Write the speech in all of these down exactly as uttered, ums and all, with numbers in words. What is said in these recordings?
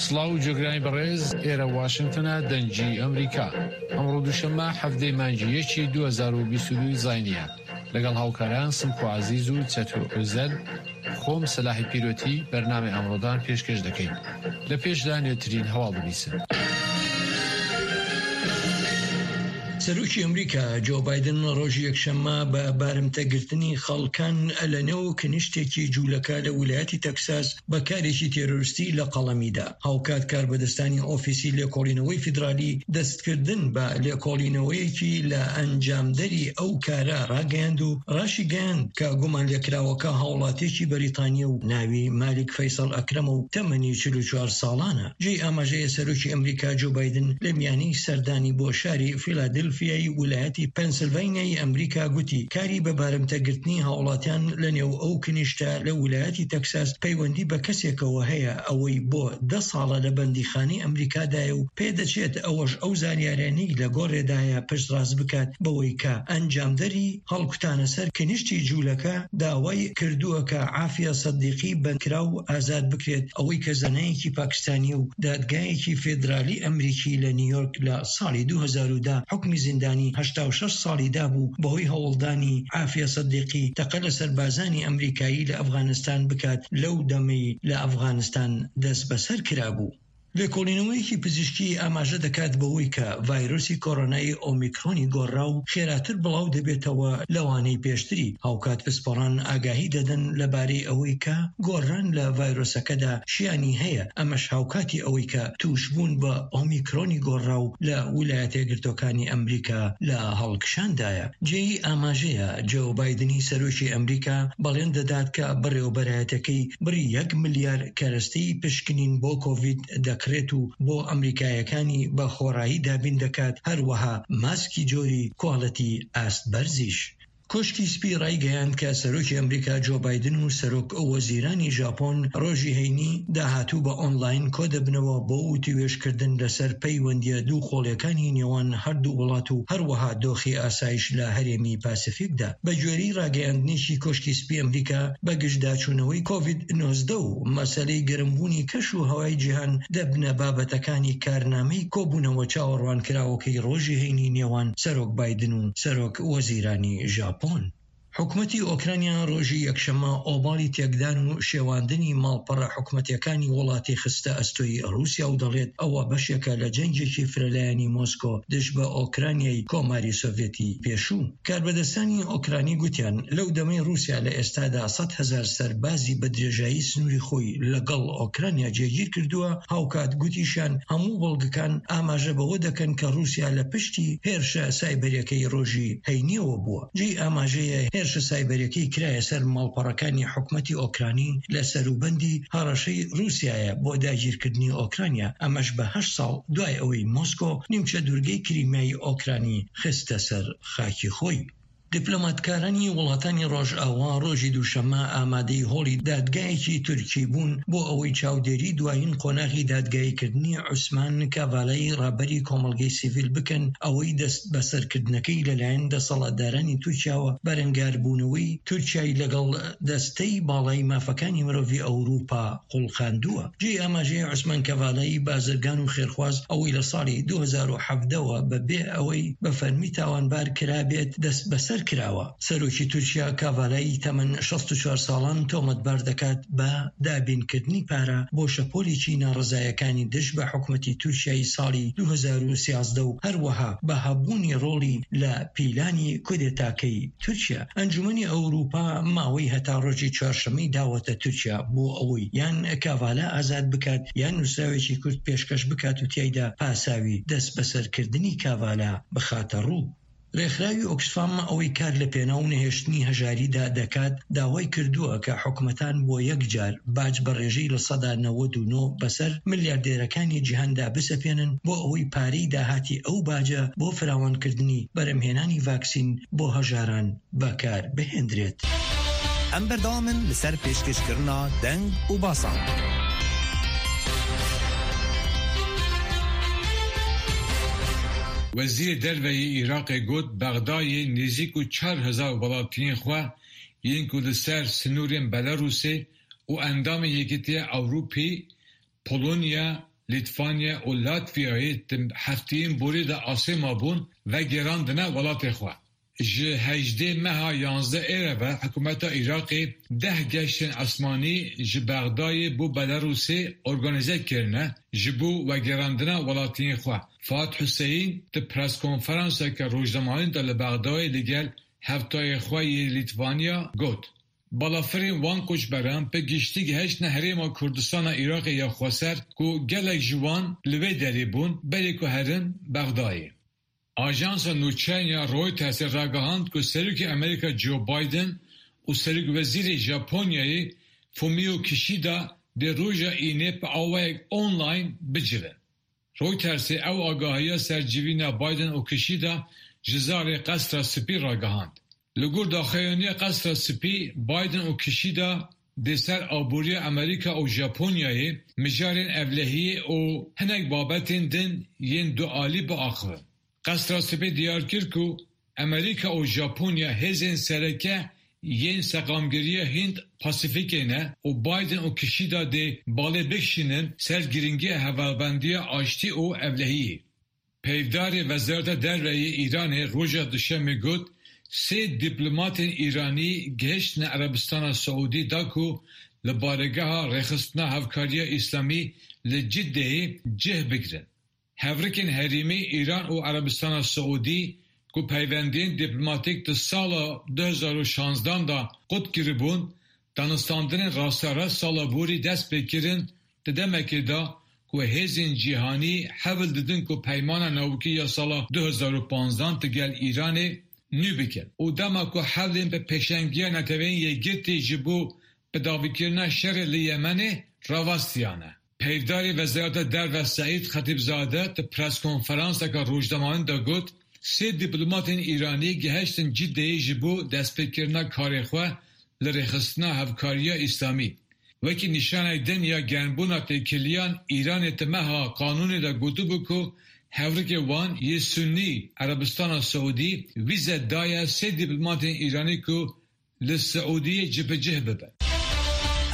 سڵاو و جێگرانی بەڕێز، ئێرە واشنگتنە، دەنگی ئەمریکا. ئەمڕۆ دووشەممە، حەڤدەی مانگی یەکی دوو هەزار و بیست و دوو زاینیە. لەگەڵ هاوکاران سمکۆ عەزیز و چەتۆ ئۆزەل، خۆم سەلاحی پیرۆتی بەرنامەی ئەمڕۆدان پێشکەش دەکەین. لە پێشدا نوێترین هەواڵ ببیسن. سەرۆکی ئەمریکا جۆ بایدن ڕۆژی یەکشەممە بە بارمتەگرتنی خەڵکان لە نێو کنیشتێکی جوولەکە لە ویلایەتی تەکساس بە کارێکی تێرۆریستی لە قەڵەمیدا. هاوکات کاربەدەستانی ئۆفیسی لێکۆڵینەوەی فیدرالی دەستکردن بە لێکۆڵینەوەیەکی لە ئەنجامدەری ئەو کارە ڕاگەیاند و ڕاشیگەیاند کە گومان لێکراوەکە هاوڵاتیەکی بەریتانیە و ناوی مالیک فەیسەڵ ئەکرەمە و تەمەنی چل و چوار ساڵانە. جێی ئاماژەیە سەرۆکی ئەمریکا جۆ بایدن لە میانی سەردانی بۆ شاری فیلادلفیای ویلایەتی پەنسیلڤانیای ئەمریکا گوتی کاری بە بارمتەگرتنی هاوڵاتیان لە نێو ئەو کنیشتە لە ویلایەتی تەکساس پەیوەندی بە کەسێکەوە هەیە ئەوەی بۆ دە ساڵە لە بەندیخانەی ئەمریکادایە و پێدەچێت ئەوەش ئەو زانیارانەی لە گۆڕێدایە پشتڕاست بکات بەوەی کە ئەنجامدەری هەڵکوتانە سەر کنیشتی جوولەکە داوای کردووە کە عافیە سەدیقی بەندکراو ئازاد بکرێت، ئەوەی کە زانایەکی پاکستانی و دادگایەکی فیدرالی ئەمریکی لە نیویۆرک لە ساڵی دوو هەزار و دە حکمی زیندانی هەشتا و شەش ساڵی دابوو بەهۆی هەوڵدانی عافیە سەدیقی تەقە لە سەربازانی ئەمریکایی لە ئەفغانستان بکات لەو دەمەی لە ئەفغانستان دەست بەسەر کرابوو. لێکۆڵینەوەیەکی پزیشکی ئاماژە دەکات بەوەی کە ڤایرۆسی کۆرۆنای ئۆمیکرۆنی گۆڕا و خێراتر بڵاو دەبێتەوە لەوانەی پێشتری. هاوکات پسپۆڕان ئاگاهی دەدەن لەبارەی ئەوەی کە گۆڕان لە ڤایرۆسەکەدا شیانی هەیە، ئەمەش هاوکاتی ئەوەی کە توشبوون بە ئۆمیکرۆنی گۆڕا و لە ویلایەتە یەکگرتوەکانی ئەمریکا لە هەڵکشاندایە. جێی ئاماژەیە جۆ بایدنی سەرۆکی ئەمریکا بەڵێن دەدات کە بەڕێوەبەرایەتەکەی بڕی یەک ملیار کەرەستەی پشکنین بۆ کۆڤید دەکڕێت و بۆ ئەمریکایەکانی بە خۆڕایی دابین دەکات، هەروەها ماسکی جۆری کواڵەتی ئاست بەرزیش. کۆشکی سپی ڕایگەیاند کە سەرۆکی ئەمریکا جۆ بایدن و سەرۆک وەزیرانی ژاپۆن ڕۆژی هەینی داهاتوو بە ئۆنلاین کۆدەبنەوە بۆ وتیوێژکردن لەسەر پەیوەندیە دوو قۆڵیەکانی نێوان هەردوو وڵات و هەروەها دۆخی ئاسایش لە هەرێمی پاسیفیکدا. بە گوێرەی ڕاگەیاندنێکی کۆشکی سپی ئەمریکا، بە گشتداچوونەوەی کۆڤید نۆزدە و مەسەلەی گەرمبوونی کەش و هەوای جیهان دەبنە بابەتەکانی کارنامەی کۆبوونەوە چاوەڕوانکراوەکەی ڕۆژی هەینی نێوان سەرۆک بایدن و سەرۆک وەزیرانی ژاپۆن. حکومەتی ئۆکرانیا ڕۆژی یەکشەممە ئۆباڵی تێکدان و شێواندنی ماڵپەڕە حکومەتیەکانی وڵاتی خستە ئەستۆی ڕووسیا و دەڵێت ئەوە بەشێکە لە جەنگێکی فرەلایەنی مۆسکۆ دژ بە ئۆکرانیای کۆماری سۆڤێتی پێشوو. کاربەدەستانی ئۆکرانی گوتیان لەو دەمەی ڕووسیا لە ئێستادا سەد هەزار سەربازی بە درێژایی سنووری خۆی لەگەڵ ئۆکرانیا جێگیر کردووە، هاوکات گوتیشیان هەموو بەڵگەکان ئاماژە بەوە دەکەن کە ڕووسیا لە پشتی هێرشە سایبەریەکەی ڕۆژی هەینیەوە بووە. جێی ئاماژەیە هێرشە سایبەریەکەی کرایە سەر ماڵپەڕەکانی حکومەتی ئۆکرانی لە سەروبەندی هەڕەشەی ڕووسیایە بۆ داگیرکردنی ئۆکرانیا، ئەمەش بە هەشت ساڵ دوای ئەوەی مۆسکۆ نیمچە دوورگەی کریمیای ئۆکرانی خستە سەر خاکی خۆی. دیپلۆماتکارانی وڵاتانی ڕۆژئاوا ڕۆژی دووشەممە ئامادەی هۆڵی دادگایەکی تورکی بوون بۆ ئەوەی چاودێری دوایین قۆناغی دادگاییکردنی عوسمان کاڤالای ڕابەری کۆمەڵگەی سیڤیل بکەن، ئەوەی دەست بەسەرکردنەکەی لەلایەن دەسەڵاتدارانی تورکیاوە بەرەنگاربوونەوەی تورکیای لەگەڵ دەستەی باڵای مافەکانی مرۆڤی ئەوروپا قوڵخاندووە. جێی ئاماژەیە عوسمان کەڤالایی بازرگان و خێرخواز ئەوەی لە ساڵی دوو هەزار و حەڤدەوە بەبێ ئەوەی بە فەرمی تاوانبار کرابێت دەست بەسەر کراوە. سەرۆکی تورکیا کاڤالایی تەمەن شەست و چوار ساڵان تۆمەتبار دەکات بە دابینکردنی پارە بۆ شەپۆلێکی ناڕەزایەکانی دژ بە حکومەتی تورکیای ساڵی دوو هەزار و سیازدە و هەروەها بە هەبوونی ڕۆڵی لە پیلانی کودێتاکەی تورکیا. ئەنجومەنی ئەوروپا ماوەی هەتا ڕۆژی چوارشەممەی داوەتە تورکیا بۆ ئەوەی یان کاڤالا ئازاد بکات، یان نووسراوێکی کورت پێشکەش بکات و تیایدا پاساوی دەست بەسەرکردنی کاڤالا بخاتە ڕوو. ڕێکخراوی ئۆکسفام ئەوەی کار لە پێناو نەهێشتنی هەژاریدا دەکات، داوای کردووە کە حکومەتان بۆ یەک جار باج بە ڕێژەی لە سەدا نەوەد و نۆ بەسەر ملیاردێرەکانی جیهاندا بسەپێنن بۆ ئەوەی پارەی داهاتی ئەو باجە بۆ فراوانکردنی بەرەمهێنانی ڤاکسین بۆ هەژاران بەکار بهێندرێت. Em berdewam in li ser pêşkêşkirina deng û basan. Wezîrê Derve yê Iraqê got, Bexdayê nêzîk û çar hezar welatiyên xwe yên ku li ser sinûrên Belarusê û endamên Yekîtiya Ewropî Polonya, Lîtvanya û Latviyayê di hefteyên borî de asê mabûn, vegerandine welatê xwe. Ji hejdê meha yanzdeh ê re ve hikûmeta Iraqê deh geştên esmanî ji Bexdayê bo Belarusê organîze kirine ji bo vegerandina welatiyên xwe. Fuat Huseyîn di preskonferanseke rojnamevanî de li Bexdayê li gel hevtayê xwe yê Lîtvanya got, Balafirên wan koçberan bi giştî gihiştine herêma Kurdistana Iraqê ya xweser ku gelek ji wan li wê derê bûn berê ku herin Bexdayê. Ajansa nûçeyan ya Reutersê ragihand ku Serokê Amerîka Joe Biden û Serokwezîrê Japonyayê Fumio Kishida dê roja Înê bi awayek online bicivin. Reutersê ew agahiya ser civîna Biden û Kishida ji zarê Qesra Spî ragihand. Li gor daxuyaniya Qesra Spî, Biden û Kishida dê ser aboriya Amerîka û Japonyayê mijarên ewlehiyê û hinek babetên din yên dualî biaxivin. Qesra Spî diyar kir ku Amerîka û Japonya hêzên sereke yên seqamgiriya Hind Pasîfîkê ne û Biden û Kishida dê balê bikişînin ser girîngiya hevalbendiya aştî û ewlehiyê. Peyvdarê Wezareta Derve yê Îranê roja Duşemê got, sê dîplomatên Îranî gihiştine Erebistana Siûdî da ku li baregeha Rêxistina Hevkariya Îslamî li Ciddeyê cih bigirin. Hevrikên herêmî Îran û Erebistana Siûdî ku peywendiyên dîplomatîk di sala du hezar û şanzdan de qut kiribûn, danûstandinên rasterast sala borî dest pê kirin, di demekê de ku hêzên cîhanî hewl didin ku peymana navûkî ya sala du hezar û panzdan di gel Îranê nû bikin û dema ku hewlên bi pêşengiya Neteweyên Yekgirtî ji bo bidawîkirina şerê li Yemenê rawestiyane. Peyvdarê Wezareta Derve Seîd Xetîbzade di preskonferanseke rojnamevanî de got, sê dîplomatên Îranî gihiştin Ciddeyê ji bo destpêkirina karê xwe li Rêxistina Hevkariya Îslamî. Wekî nîşanek din ya germbûna têkiliyan, Îranê di meha Kanûnê de gotibû ku hevrikê wan yê Sunnî Erebistana Siûdî vîze daye sê dîplomatên Îranî ku li Siûdiyê cibicih bibin.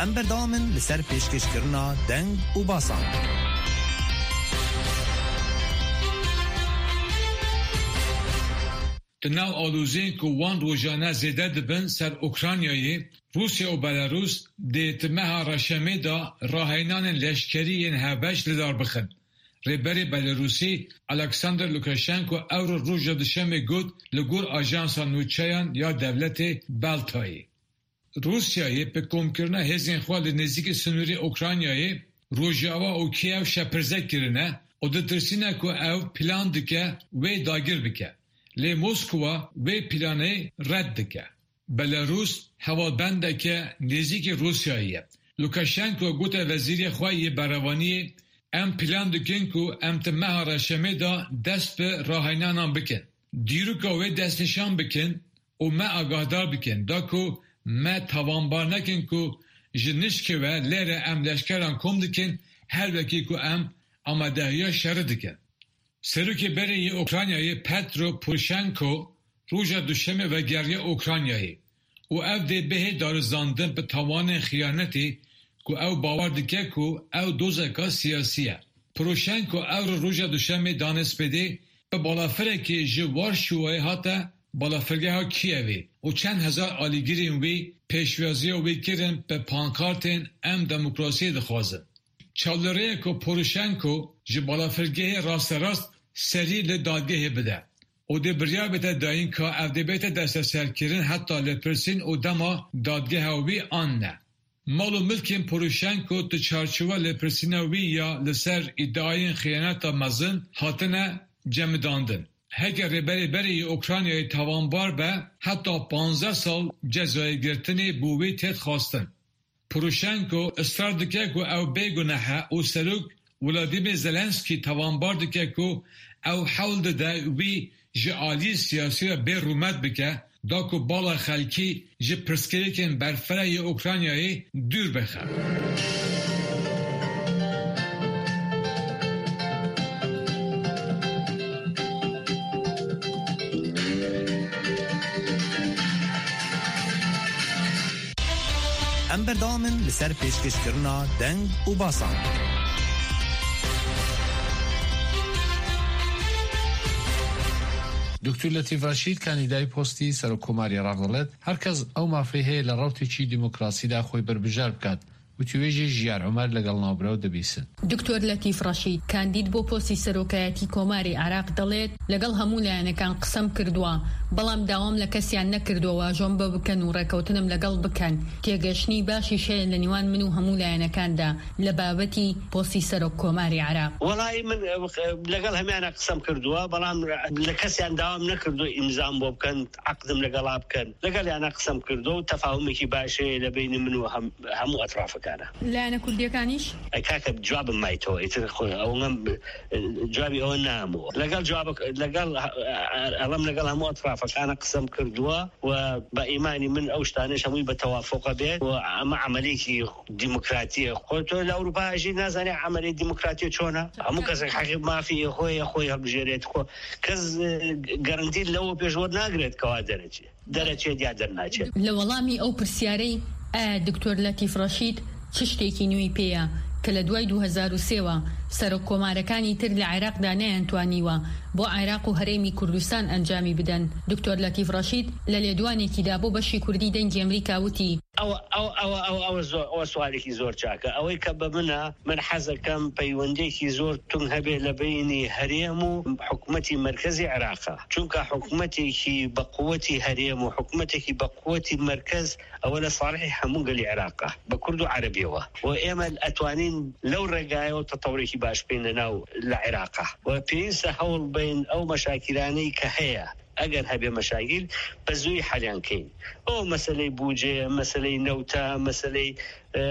Em berdewam in li ser pêşkêşkirina deng û basan. Di nav aloziyên ku wan rojane zêde dibin ser Ukraynayê, Rûsya û Belarûs dê di meha Reşemê de raheynanên leşkerî yên hevbeş li dar bixin. Rêberê Belarûsî Alexander Lukashenko ewro roja Duşemê got, li gor ajansa nûçeyan ya dewletê Beltayê. Rûsyayê bi komkirina hêzên xwe li nêzîkî sinûrê Ukraynayê Rojava û Kiev şepirze kirine û ditirsîne ku ew plan dike wê dagir bike. Lê Moskwa wê planê red dike. Belarûs hevalbendeke nêzîkî Rûsyayê ye. Lukashenko gote wezîrê xwe yê berevaniyê, Em plan dikin ku em di meha Reşemê de dest bi raheynanan bikin. Dîroka wê destnîşan bikin û me agahdar bikin da ku me tawanbar nekin ku ji nişkê ve lê re em leşkeran kom dikin, her wekî ku em amadehiya şerî dikin. Serokê berê yê Ukraynayê Petro Poroshenko roja Duşemê vegeriya Ukraynayê û ev dê bihê darizandin bi tawanên xiyanetê ku ew bawer dike ku ew dozeka siyasî ye. Poroshenko ewro roja Duşemê danê spêdê bi balafirekê ji Warşawayê hate balafirgeha Kiyevê û çend hezar alîgirên wî pêşwaziya wî kirin bi pankartên Em demokrasiyê dixwazin. Çavlêriyê ku Poroshenko ji balafirgehê rasterast serî li dadgehê bide û dê biryar bête dayîn ka ev dê bête desteserkirin heta lêpirsîn û dema dadgeha wî an ne. Mal û milkên Poroshenko di çarçowa lêpirsîna wî ya li ser îdiayên xiyaneta mezin hatine cemidandin. Heke rêberê berê yê Ukraynayê tawanbar be, heta panzdeh sal cezayê girtinê bo wî têt xwestin. Poroshenko israr dike ku ew bêguneh e û Serok Volodymyr Zelenskî tawanbar dike ku ew hewl dide wî ji aliyê siyasî re bê rûmet bike, da ku bala xelkî ji pirsgirêkên berfireh yê Ukraynayê dûr bixe. Em berdewam in li ser pêşkêşkirina deng û basan. دکتۆر لەتیف ڕەشید، کاندیدای پۆستی سەرۆککۆماری عێراق، دەڵێت هەر کەس ئەو مافەی هەیە لە ڕەوتێکی دیموکراسیدا خۆی بەربژار بکات. وتیوێژی ژیار عومەر لەگەڵ ناوبراو دەبیسن. دکتۆر لەتیف ڕەشید، کاندید بۆ پۆستی سەرۆکایەتی کۆماری عێراق، دەڵێت لەگەڵ هەموو لایەنەکان قسەم کردووە، بەڵام داوام لە کەسیان نەکردووە واژۆم بە بکەن و ڕێکەوتنم لەگەڵ بکەن. تێگەشتنی باشیش هەیە لە نێوان من و هەموو لایەنەکاندا لە بابەتی پۆستی سەرۆک کۆماری عێراق. وەڵای من، ئە، لەگەڵ هەمیانە قسەم کردووە، بەڵام لە کەسیان داوام نەکردووە ئیمزام بۆ بکەن، عەقدم لەگەڵا بکەن. لەگەڵ یانە قسەم کردووە و تەفاهمێکی باش هەیە لە بینی من و هەم-، هەموو ئەترافەکانە. لایەنە کوردیەکانیش؟ ئەی کاکە، جوابم مایتەوە، ئیتر خۆ-، ئەوەم، جوابی ئەوە نامەوە. لەگەڵ جوابەک-، لەگەڵ، ئەڵەم لەگەڵ هەموو ئەترافەکانە قسەم کردووە و بە ئیمانی من ئەو شتانەش هەمووی بە تەوافقە بێت و ئەمە عەمەلێکی دیموکراتیە. خۆ تۆ لە ئەوروپا ئەژی، نازانێ عەمەلی دیموکراتی چۆنە؟ هەموو کەسێک حەقی مافی خۆی، خۆی هەڵبژێرێت. خۆ کەس، ئە، گەرەنتی لەوە پێش وەرناگرێت کەوا دەرەچێت. دەرەچێت یا دەرناچێت. لە وەڵامی ئەو پرسیارەی ئایا دکتۆر لەتیف ڕەشید چ شتێکی نوێی پێیە کە لە دوای دوو هەزار و سێ وە سەرۆک کۆمارەکانی تر لە عێراقدا نەیانتوانیوە بۆ عێراق و هەرێمی کوردستان ئەنجامی بدەن، دکتۆر لەتیف ڕەشید لە لێدوانێکیدا بۆ بەشی کوردی دەنگی ئەمریکا وتی، ئەوە، ئەوە، ئەوە، ئەوە، ئەوە زۆر، ئەوە سوالێکی زۆر چاکە. ئەوەی کە بە منە، من حەزەکەم پەیوەندێکی زۆر تونگ هەبێ لە بینی هەرێم و حکومەتی مەرکەزی عێراقە. چونکە حکومەتێکی بە قوەتی هەرێم و حکومەتێکی بە قوەتی مەرکەز، ئەوە لە ساڵحی هەموو گەلی عێراقە، بە کورد و عەرەبیەوە. و ئێمە ئەتوانین لەو ڕێگایەوە تەتەورێکی باش بکەین لە ناو، لە عێراقە. و پێویستە هەوڵ بین ئەو مەشاکیلانەی کە هەیە، ئەگەر هەبێ مەشاکیل، بە زووی حەلیان کەین. ئەو مەسەلەی بودجەیە، مەسەلەی نەوتە، مەسەلەی، ئە،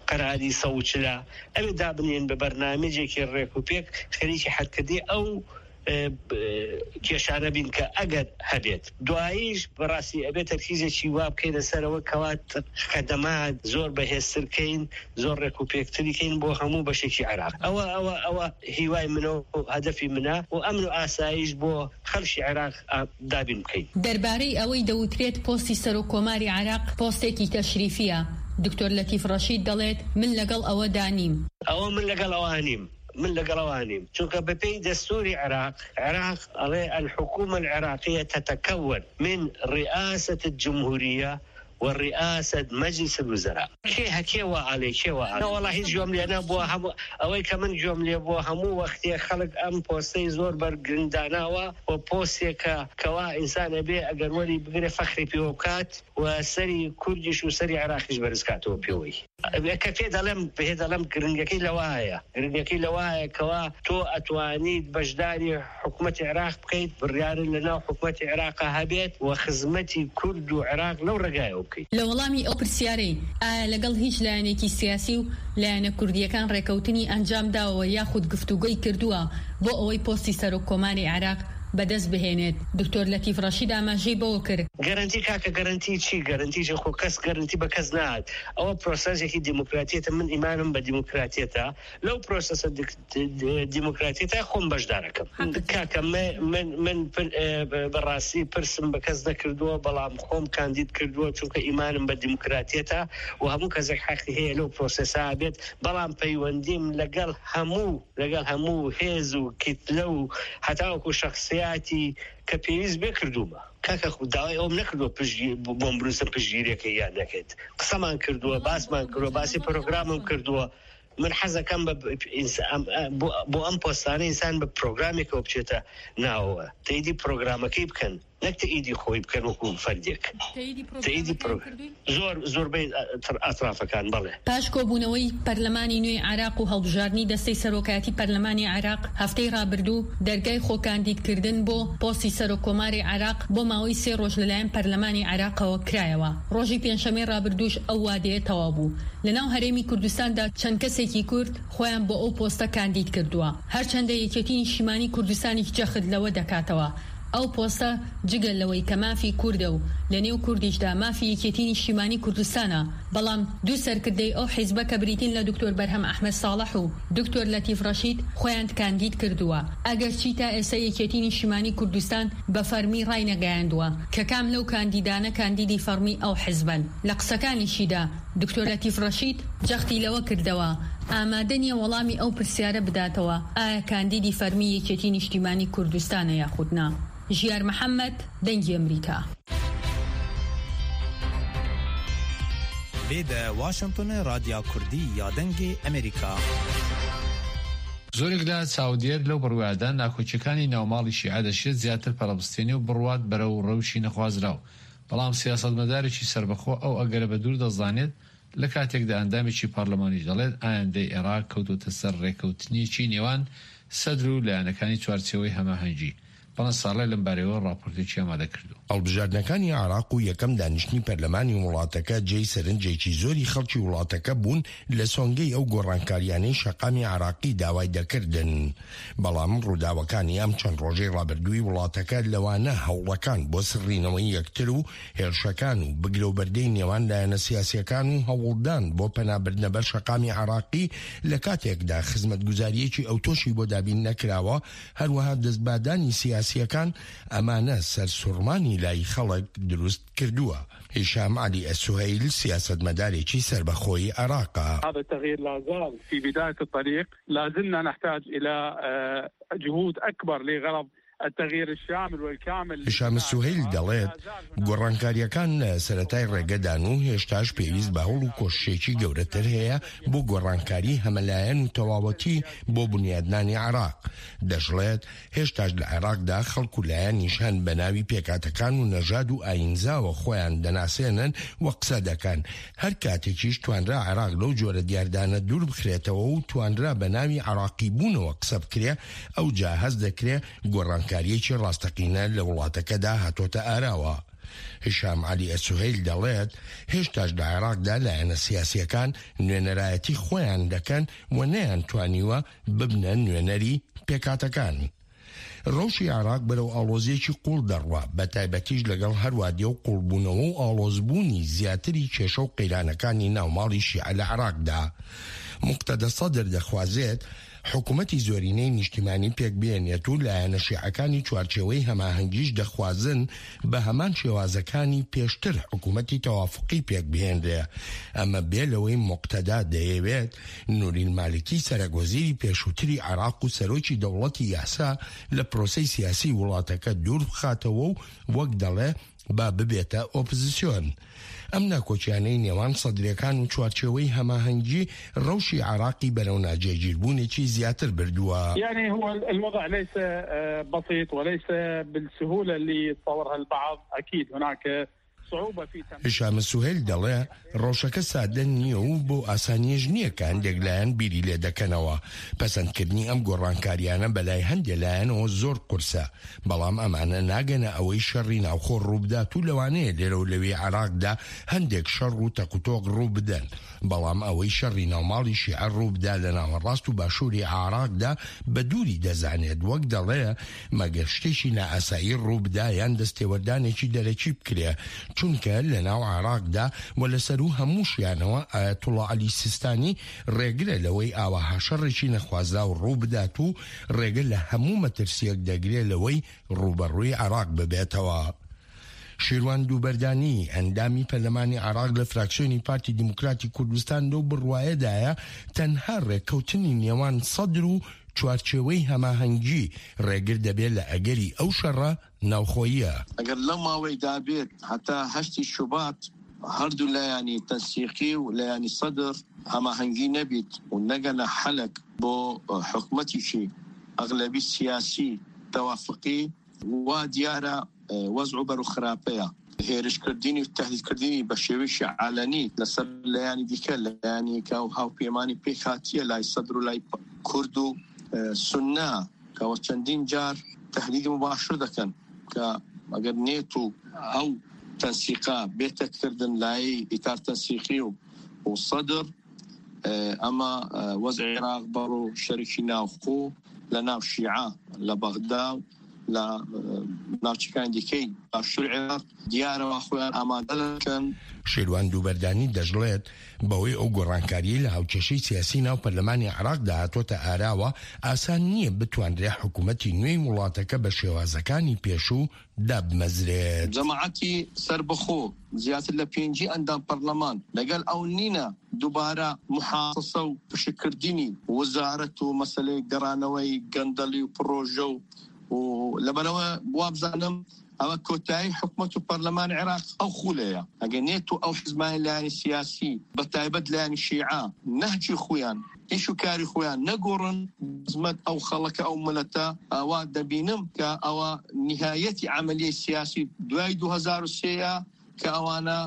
قەراری سەوچلە. ئەوێ دابنێن بە بەرنامەجێکی ڕێک و پێک خەریکی حەلکردنی ئەو، ئە، ب-، کێشانە بین کە ئەگەر هەبێت. دواییش بەڕاستی ئەبێت تەرکیزێکی وا بکەینە سەرەوە کەوا خەدەمات زۆر بەهێزتر کەین، زۆر ڕێک و پێکتری کەین بۆ هەموو بەشێکی عێراق. ئەوە، ئەوە، ئەوە هیوای منە و هەدەفی منە و ئەمن و ئاسایش بۆ خەڵکی عێراق، ئا، دابین بکەین. دەربارەی ئەوەی دەوترێت پۆستی سەرۆک کۆماری عێراق پۆستێکی تەشریفیە، دکتۆر لەتیف ڕەشید دەڵێت من لەگەڵ ئەوەدا نیم. ئەوە من لەگەڵ ئەوە نیم. من لەگەڵ ئەوە نیم. چونکە بە پێی دەستوری عێراق، عێراق ئەڵێ الحکومە العێراقیە تتکون من ڕئاسەت الجمهوریە و ڕئاسەت مەجلیس الوزراء. کێ هەکێ وە ئەڵێ، کێ وە ئەڵێ؟ نە، وەڵا هیچ گوێم لێ نەبووە. هەموو ئەوەی کە من گوێم لێ بووە، هەموو وەختێ خەڵک ئەم پۆستەی زۆر بەرگرنگ داناوە و پۆستێکە کەوا ئینسان ئەبێ ئەگەر وەری بگرێ فەخری پێوە بکات و سەری کوردیش و سەری عێراقیش بەرز کاتەوە پێوەی. کە پێ دەڵێم، پێ دەڵێم گرنگەکەی لەوایە، گرنگەکەی لەوایە کەوا تۆ ئەتوانیت بەشداری حکومەتی عێراق بکەیت، بڕیارن لە ناو حکومەتی عێراقا هەبێت و خزمەتی کورد و عێراق لەو ڕێگایەوە بکەیت. لە وەڵامی ئەو پرسیارەی ئایا لەگەڵ هیچ لایەنێکی سیاسی و لایەنە کوردیەکان ڕێکەوتنی ئەنجام داوە یاخود گفتوگۆی کردووە بۆ ئەوەی پۆستی سەرۆک کۆماری عێراق بەدەست بهێنێت، دکتۆر لەتیف ڕەشید ئاماژەی بەوە کرد. گەرەنتی، کاکە، گەرەنتی چی؟ گەرەنتی چی؟ خۆ کەس گەرەنتی بە کەس نات. ئەوە پرۆسەسێکی دیموکراتیەتە، من ئیمانم بە دیموکراتیەتە. لەو پرۆسەسە دیک-، دی-، دیموکراتیەتە خۆم بەشدارەکەم. کاکە، من، من، من پر-، ئێ، بە-، بەڕاستی پرسم بە کەس نەکردووە، بەڵام خۆم کاندید کردووە، چونکە ئیمانم بە دیموکراتیەتە و هەموو کەسێک حەقی هەیە لەو پرۆسەسە بێت، بەڵام پەیوەندیم لەگەڵ هەموو، لەگەڵ هەموو هێز و کیتلە و هەتاوەکو شەخسیاتی کە پێویست بێ کردوومە. کاکە، خو-، داوای ئەوم نەکردووە پشتگی-، ب-، بۆم بنووسن پشتگیریەکەی یان نەکرد. قسەمان کردووە، باسمان کردووە، باسی پرۆگرامم کردووە. من حەزەکەم بە ب-، ئینس-، ئەم، ئە، بۆ، بۆ ئەم پۆستانە ئینسان بە پرۆگرامێکەوە بچێتە ناوەوە. تەیدی پرۆگرامەکەی بکەن، نەک تەئیدی خۆی بکەن وەکو فەردێک. تەئیدی پرۆ-، زۆر، زۆربەی ئەتر-، ئەترافەکان، بەڵێ. پاش کۆبوونەوەی پەرلەمانی نوێی عێراق و هەڵبژاردنی دەستەی سەرۆکایەتی پەرلەمانی عێراق، هەفتەی ڕابردوو دەرگای خۆکاندیدکردن بۆ پۆستی سەرۆکۆماری عێراق بۆ ماوەی سێ ڕۆژ لەلایەن پەرلەمانی عێراقەوە کرایەوە. ڕۆژی پێنجشەممەی ڕابردووش ئەو وادەیە تەواو بوو. لەناو هەرێمی کوردستاندا چەند کەسێکی کورد خۆیان بۆ ئەو پۆستە کاندید کردووە. هەرچەندە یەکێتی نیشتیمانی کوردستانیش جەخت لەوە دەکاتەوە ئەو پۆستە جگە لەوەی کە مافی کوردە و لە نێو کوردیشدا مافی یەکێتی نیشتیمانی کوردستانە بەڵام دوو سەرکردەی ئەو حیزبە کە بریتین لە دکتۆر بەرهەم ئەحمەد ساڵح و دکتۆر لەتیف ڕەشید خۆیان کاندید کردووە، ئەگەرچی تا ئێستا یەکێتی نیشتیمانی کوردستان بە فەرمی ڕاینەگەیاندووە کە کام لەو کاندیدانە کاندیدی فەرمی ئەو حیزبەن. لە قسەکانیشیدا دکتۆر لەتیف ڕەشید جەختی لەوە کردەوە ئامادە نییە وەڵامی ئەو پرسیارە بداتەوە، ئایا کاندیدی فەرمی یەکێتی نیشتیمانی کوردستانە یاخود نا؟ ژیار محەممەد، دەنگی ئەمریکا. Vê de Washingtonê Radya Kurdî ya Dengê Amerîka. زۆرێک لە چاودێر لەو بڕوایەدان ناکۆکیەکانی ناوماڵی شیعە دەشێت زیاتر پەرەبستێنی و بڕوات بەرەو ڕەوشی نەخوازراو. بەڵام سیاستمەدارێکی سربەخۆ ئەو ئەگەرە بە دوور دەزانێت، لە کاتێکدا ئەندامێکی پارلمانیش دەڵێت ئایندەی عێراق کەوتوتە سەر ڕێکەوتنیەکی نێوان سەدر و لایەنەکانی چوارچێوەی هەماهەنگی. بەڵام ساڵێ لەم بارەوە ڕاپۆرتێکی ئامادە کردو. هەڵبژاردنەکانی عێراق و یەکەم دانیشتنی پەرلەمانی وڵاتەکە جێی سەرنجێکی زۆری خەڵکی وڵاتەکە بوون لە سۆنگەی ئەو گۆڕانکاریانەی شەقامی عێراقی داوای دەکردن. بەڵام ڕووداوەکانی ئەم چەند ڕۆژەی ڕابردووی وڵاتەکە، لەوانە هەوڵەکان بۆ سڕینەوەی یەکتر و هێرشەکان و بگرەوبەردەی نێوان لایەنە سیاسیەکان و هەوڵدان بۆ پەنابردنە بەر شەقامی عێراقی، لە کاتێکدا خزمەتگوزاریەکی ئەوتۆشی بۆ دابین نەکراوە، هەروەها دەستبادانی سیاسیەکان، ئەمانە سەرسوڕمانی لای خەڵک دروست کردووە. هیشام عەلی ئەسوهەیل، سیاسەتمەدارێکی سەربەخۆی عێراقە. هذا التغيير لا زال في بداية الطريق، لا زلنا نحتاج إلى، آه، جهود أكبر لغرض التغيير الشامل والكامل. هشام السهيل دەڵێت، گۆڕانکاریەکان لە سەرەتای ڕێگەدان و هێشتاش پێویست بە هەوڵ و کۆششێکی گەورەتر هەیە بۆ گۆڕانکاری هەمەلایەن و تەواوەتی بۆ بنیادنانی عێراق. دەشڵێت، هێشتاش لە عێراقدا خەڵک و لایەنیش هەن بە ناوی پێکاتەکان و نەژاد و ئاینزاوە خۆیان دەناسێنن و قسە دەکەن. هەر کاتێکیش توانرا عێراق لەو جۆرە دیاردانە دوور بخرێتەوە و توانرا بە ناوی عێراقی بوونەوە قسە بکرێ، ئەو جا هەست دەکرێ گۆڕانکاریەکی ڕاستەقینە لە وڵاتەکەدا هاتۆتە ئاراوە. هشام عەلی ئەسوهەیل دەڵێت، هێشتاش لە عێراقدا لایەنە سیاسیەکان نوێنەرایەتی خۆیان دەکەن و نەیان توانیوە ببنە نوێنەری پێکاتەکان. ڕەوشی عێراق بەرەو ئاڵۆزیەکی قوڵ دەڕوا، بە تایبەتیش لەگەڵ هەروادیە و قوڵبوونەوە و ئاڵۆزبوونی زیاتری کێشە و قەیرانەکانی ناوماڵی شیعە لە عێراقدا. مقتەدە سەدر دەخوازێت حکوومەتی زۆرینەی نیشتیمانی پێک بێنێت و لایەنە شیعەکانی چوارچێوەی هەماهەنگیش دەخوازن بە هەمان شێوازەکانی پێشتر حکوومەتی تەوافقی پێک بهێنرێ. ئەمە بێ لەوەی مقتەدا دەیەوێت نورین مالکی، سەرەک وەزیری پێشووتری عێراق و سەرۆکی دەوڵەتی یاسا، لە پرۆسەی سیاسی وڵاتەکە دوور بخاتەوە و وەک دەڵێ با ببێتە ئۆپزیسیۆن. ئەم ناکۆکیانەی نێوان سەدرەکان و چوارچێوەی هەماهەنگی ڕەوشی عێراقی بەرەو ناجێگیربوونێکی زیاتر بردووە. يعني هو الموضوع ليس، آه، بسيط وليس بالسهولة اللي يتصورها البعض. أكيد هناك صعوبة في تنفيذ. هشام سوهیل دەڵێ، ڕەوشەکە سادە نییە و بۆ ئاسانیش نییە کە هەندێک لایەن بیری لێ دەکەنەوە. پەسەندکردنی ئەم گۆڕانکاریانە بەلای هەندێک لایەنەوە زۆر قورسە، بەڵام ئەمانە ناگەنە ئەوەی شەڕی ناوخۆ ڕووبدات و لەوانەیە لێرە و لەوێ عێراقدا هەندێک شەڕ و تەقوتۆق ڕوو بدەن. بەڵام ئەوەی شەڕی ناوماڵی شیعە ڕوو بدا لە ناوەڕاست و باشووری عێراقدا بە دووری دەزانێت. وەک دەڵێ، مەگەر شتێکی نائاسایی ڕوو بدا یان دەستێوەردانێکی دەرەکی بکرێ، چونکە لە ناو عێراقدا و لە سەروو هەموو شیانەوە ئایەتوڵا عەلی سیستانی ڕێگرە لەوەی ئاوەها شەڕێکی نەخوازرا و ڕوو بدات و ڕێگە لە هەموو مەترسیەک دەگرێ لەوەی ڕووبەڕووی عێراق ببێتەوە. شیروان دووبەردانی، ئەندامی پەرلەمانی عێراق لە فراکسیۆنی پارتی دیموکراتی کوردستان، لەو بڕوایەدایە تەنها ڕێککەوتنی نێوان سەدر و چوارچێوەی هەماهەنگی ڕێگر دەبێت لە ئەگەری ئەو شەڕە ناوخۆییە. ئەگەر لەم ماوەیدا بێت هەتا هەشتی شوبات هەردوو لایەنی تەنسیقی و لایەنی سەدر هەماهەنگی نەبیت و نەگەنە حەلەک بۆ حکومەتیشی ئەغلەبی سیاسی تەوافقی، وا دیارە، ئە، وەزع و بەرو خراپەیە. هێرشکردنی و تەهدیدکردنی بە شێوەیەکی عەلەنی لەسەر لایەنی دیکە، لایەنی کە ئەو هاوپەیمانی پێک هاتیە لای سەدر و لای پ-، کورد و، ئە، سوننە، کە وە چەندین جار تەهدیدی مباشر دەکەن کە ئەگەر نێت و ئەو تەنسیقە بێتە کردن لای ئیتار تەنسیقی و، و سەدر، ئە، ئەمە، ئە، وەزع عێراق بەڕۆ شەرکی ناوخۆ لە ناو شیعە لە بەغدا و لە ناوچەکانی دیکەی باشوور عێراق دیارەوە خۆیان ئامادە دەکەن. شێروان دووبەردانی دەژڵێت، بەوەی ئەو گۆڕانکاریی لە هاوکێشەی سیاسی ناو پەرلەمانی عێراقدا هاتووەتە ئاراوە، ئاسان نییە بتوانرێ حکوومەتی نوێی وڵاتەکە بە شێوازەکانی پێشوو دابمەزرێت. جەماعەتی سەربەخۆ زیاتر لە پێنجی ئەندام پەرلەمان لەگەڵ ئەو نینە دووبارە محاسسە و پشکردنی وەزارەت و مەسەلەی گەڕانەوەی گەندەڵی و پڕۆژە و، و لەبەرەوە وابزانم ئەوە کۆتایی حکومەت و پەرلەمان عێراق ئەو خولەیە. ئەگەر نێت و ئەو حزبانی لایەنی سیاسی، بە تایبەت لایەنی شیعە، نەهجی خۆیان، ئیش و کاری خۆیان نەگۆڕن، خزمەت ئەو خەڵکە، ئەو ملەتە، ئەوە دەبینم کە ئەوە نهایەتی عملیە سیاسی دوای دوو هەزار و سێ یە کە ئەوانە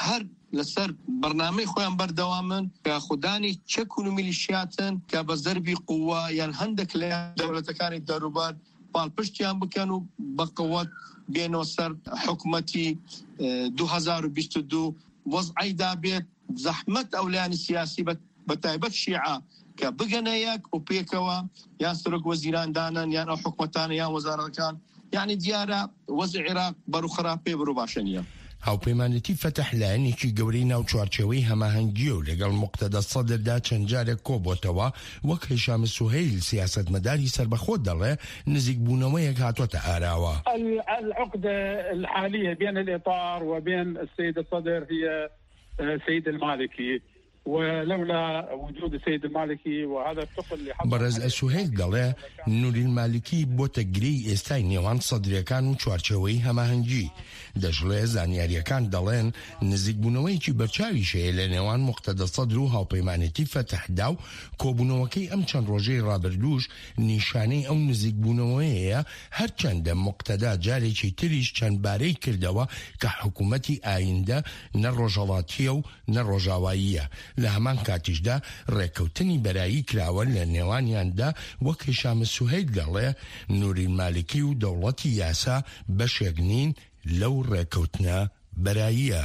هەر لەسەر بەرنامەی خۆیان بەردەوامن، کە خودانی چەک و میلیشیاتن کە بە زەربی قووە یان هەندێک لە دەولەتەکانی دەروبەر پاڵپشتیان بکەن و بە قوت بێنەوە سەر حکومەتی، ئە، دوو هەزار و بیست و دوو وەزعی دابێت. زەحمەت ئەو لایەنی سیاسی بە، بە تایبەت شیعە کە بگەنە یەک و پێکەوە یان سەرۆک وەزیران دانن یان ئەو حکومەتانە یان وەزارەتەکان، یعنی دیارە وەزعی عێراق بەرو خراپ پێ بەرو باشە نییە. هاوپەیمانێتی فەتح لایەنێکی گەورەی ناو چوارچێوەی هەماهەنگیە و لەگەڵ موقتەدا سەدردا چەند جارێک کۆبۆتەوە. وەک هیشام سوهەیل سیاسەتمەداری سەربەخۆ دەڵێ، نزیکبوونەوەیەک هاتووەتە ئاراوە. ال-، العقدة الحالية بين الإطار وبين السيد الصدر هي، آه، سيد المالكي. ولولا وجود السيد المالكي وهذا الثقل اللي حصل بەڕێز عليه ئەسوهەیل دەڵێ، نوری المالکی بۆتە گرێی ئێستای نێوان سەدرەکان و چوارچێوەی هەماهەنگی. دەشڵێ زانیاریەکان دەڵێن نزیکبوونەوەیەکی بەرچاویش هەیە لە نێوان موقتەدا سەدر و هاوپەیمانێتی فەتحدا و کۆبوونەوەکەی ئەم چەند ڕۆژەی ڕابردووش نیشانەی ئەو نزیکبوونەوەیە، هەرچەندە موقتەدا جارێکی تریش چەند بارەی کردەوە کە حکوومەتی ئایندە نە ڕۆژهەڵاتیە و نە ڕۆژاواییە. لە هەمان کاتیشدا ڕێکەوتنی بەرایی کراوە لە نێوانیاندا، وەک هیشام سوهەیل دەڵێ، نوری مالکی و دەوڵەتی یاسا بەشێک نین لەو ڕێکەوتنە بەراییە.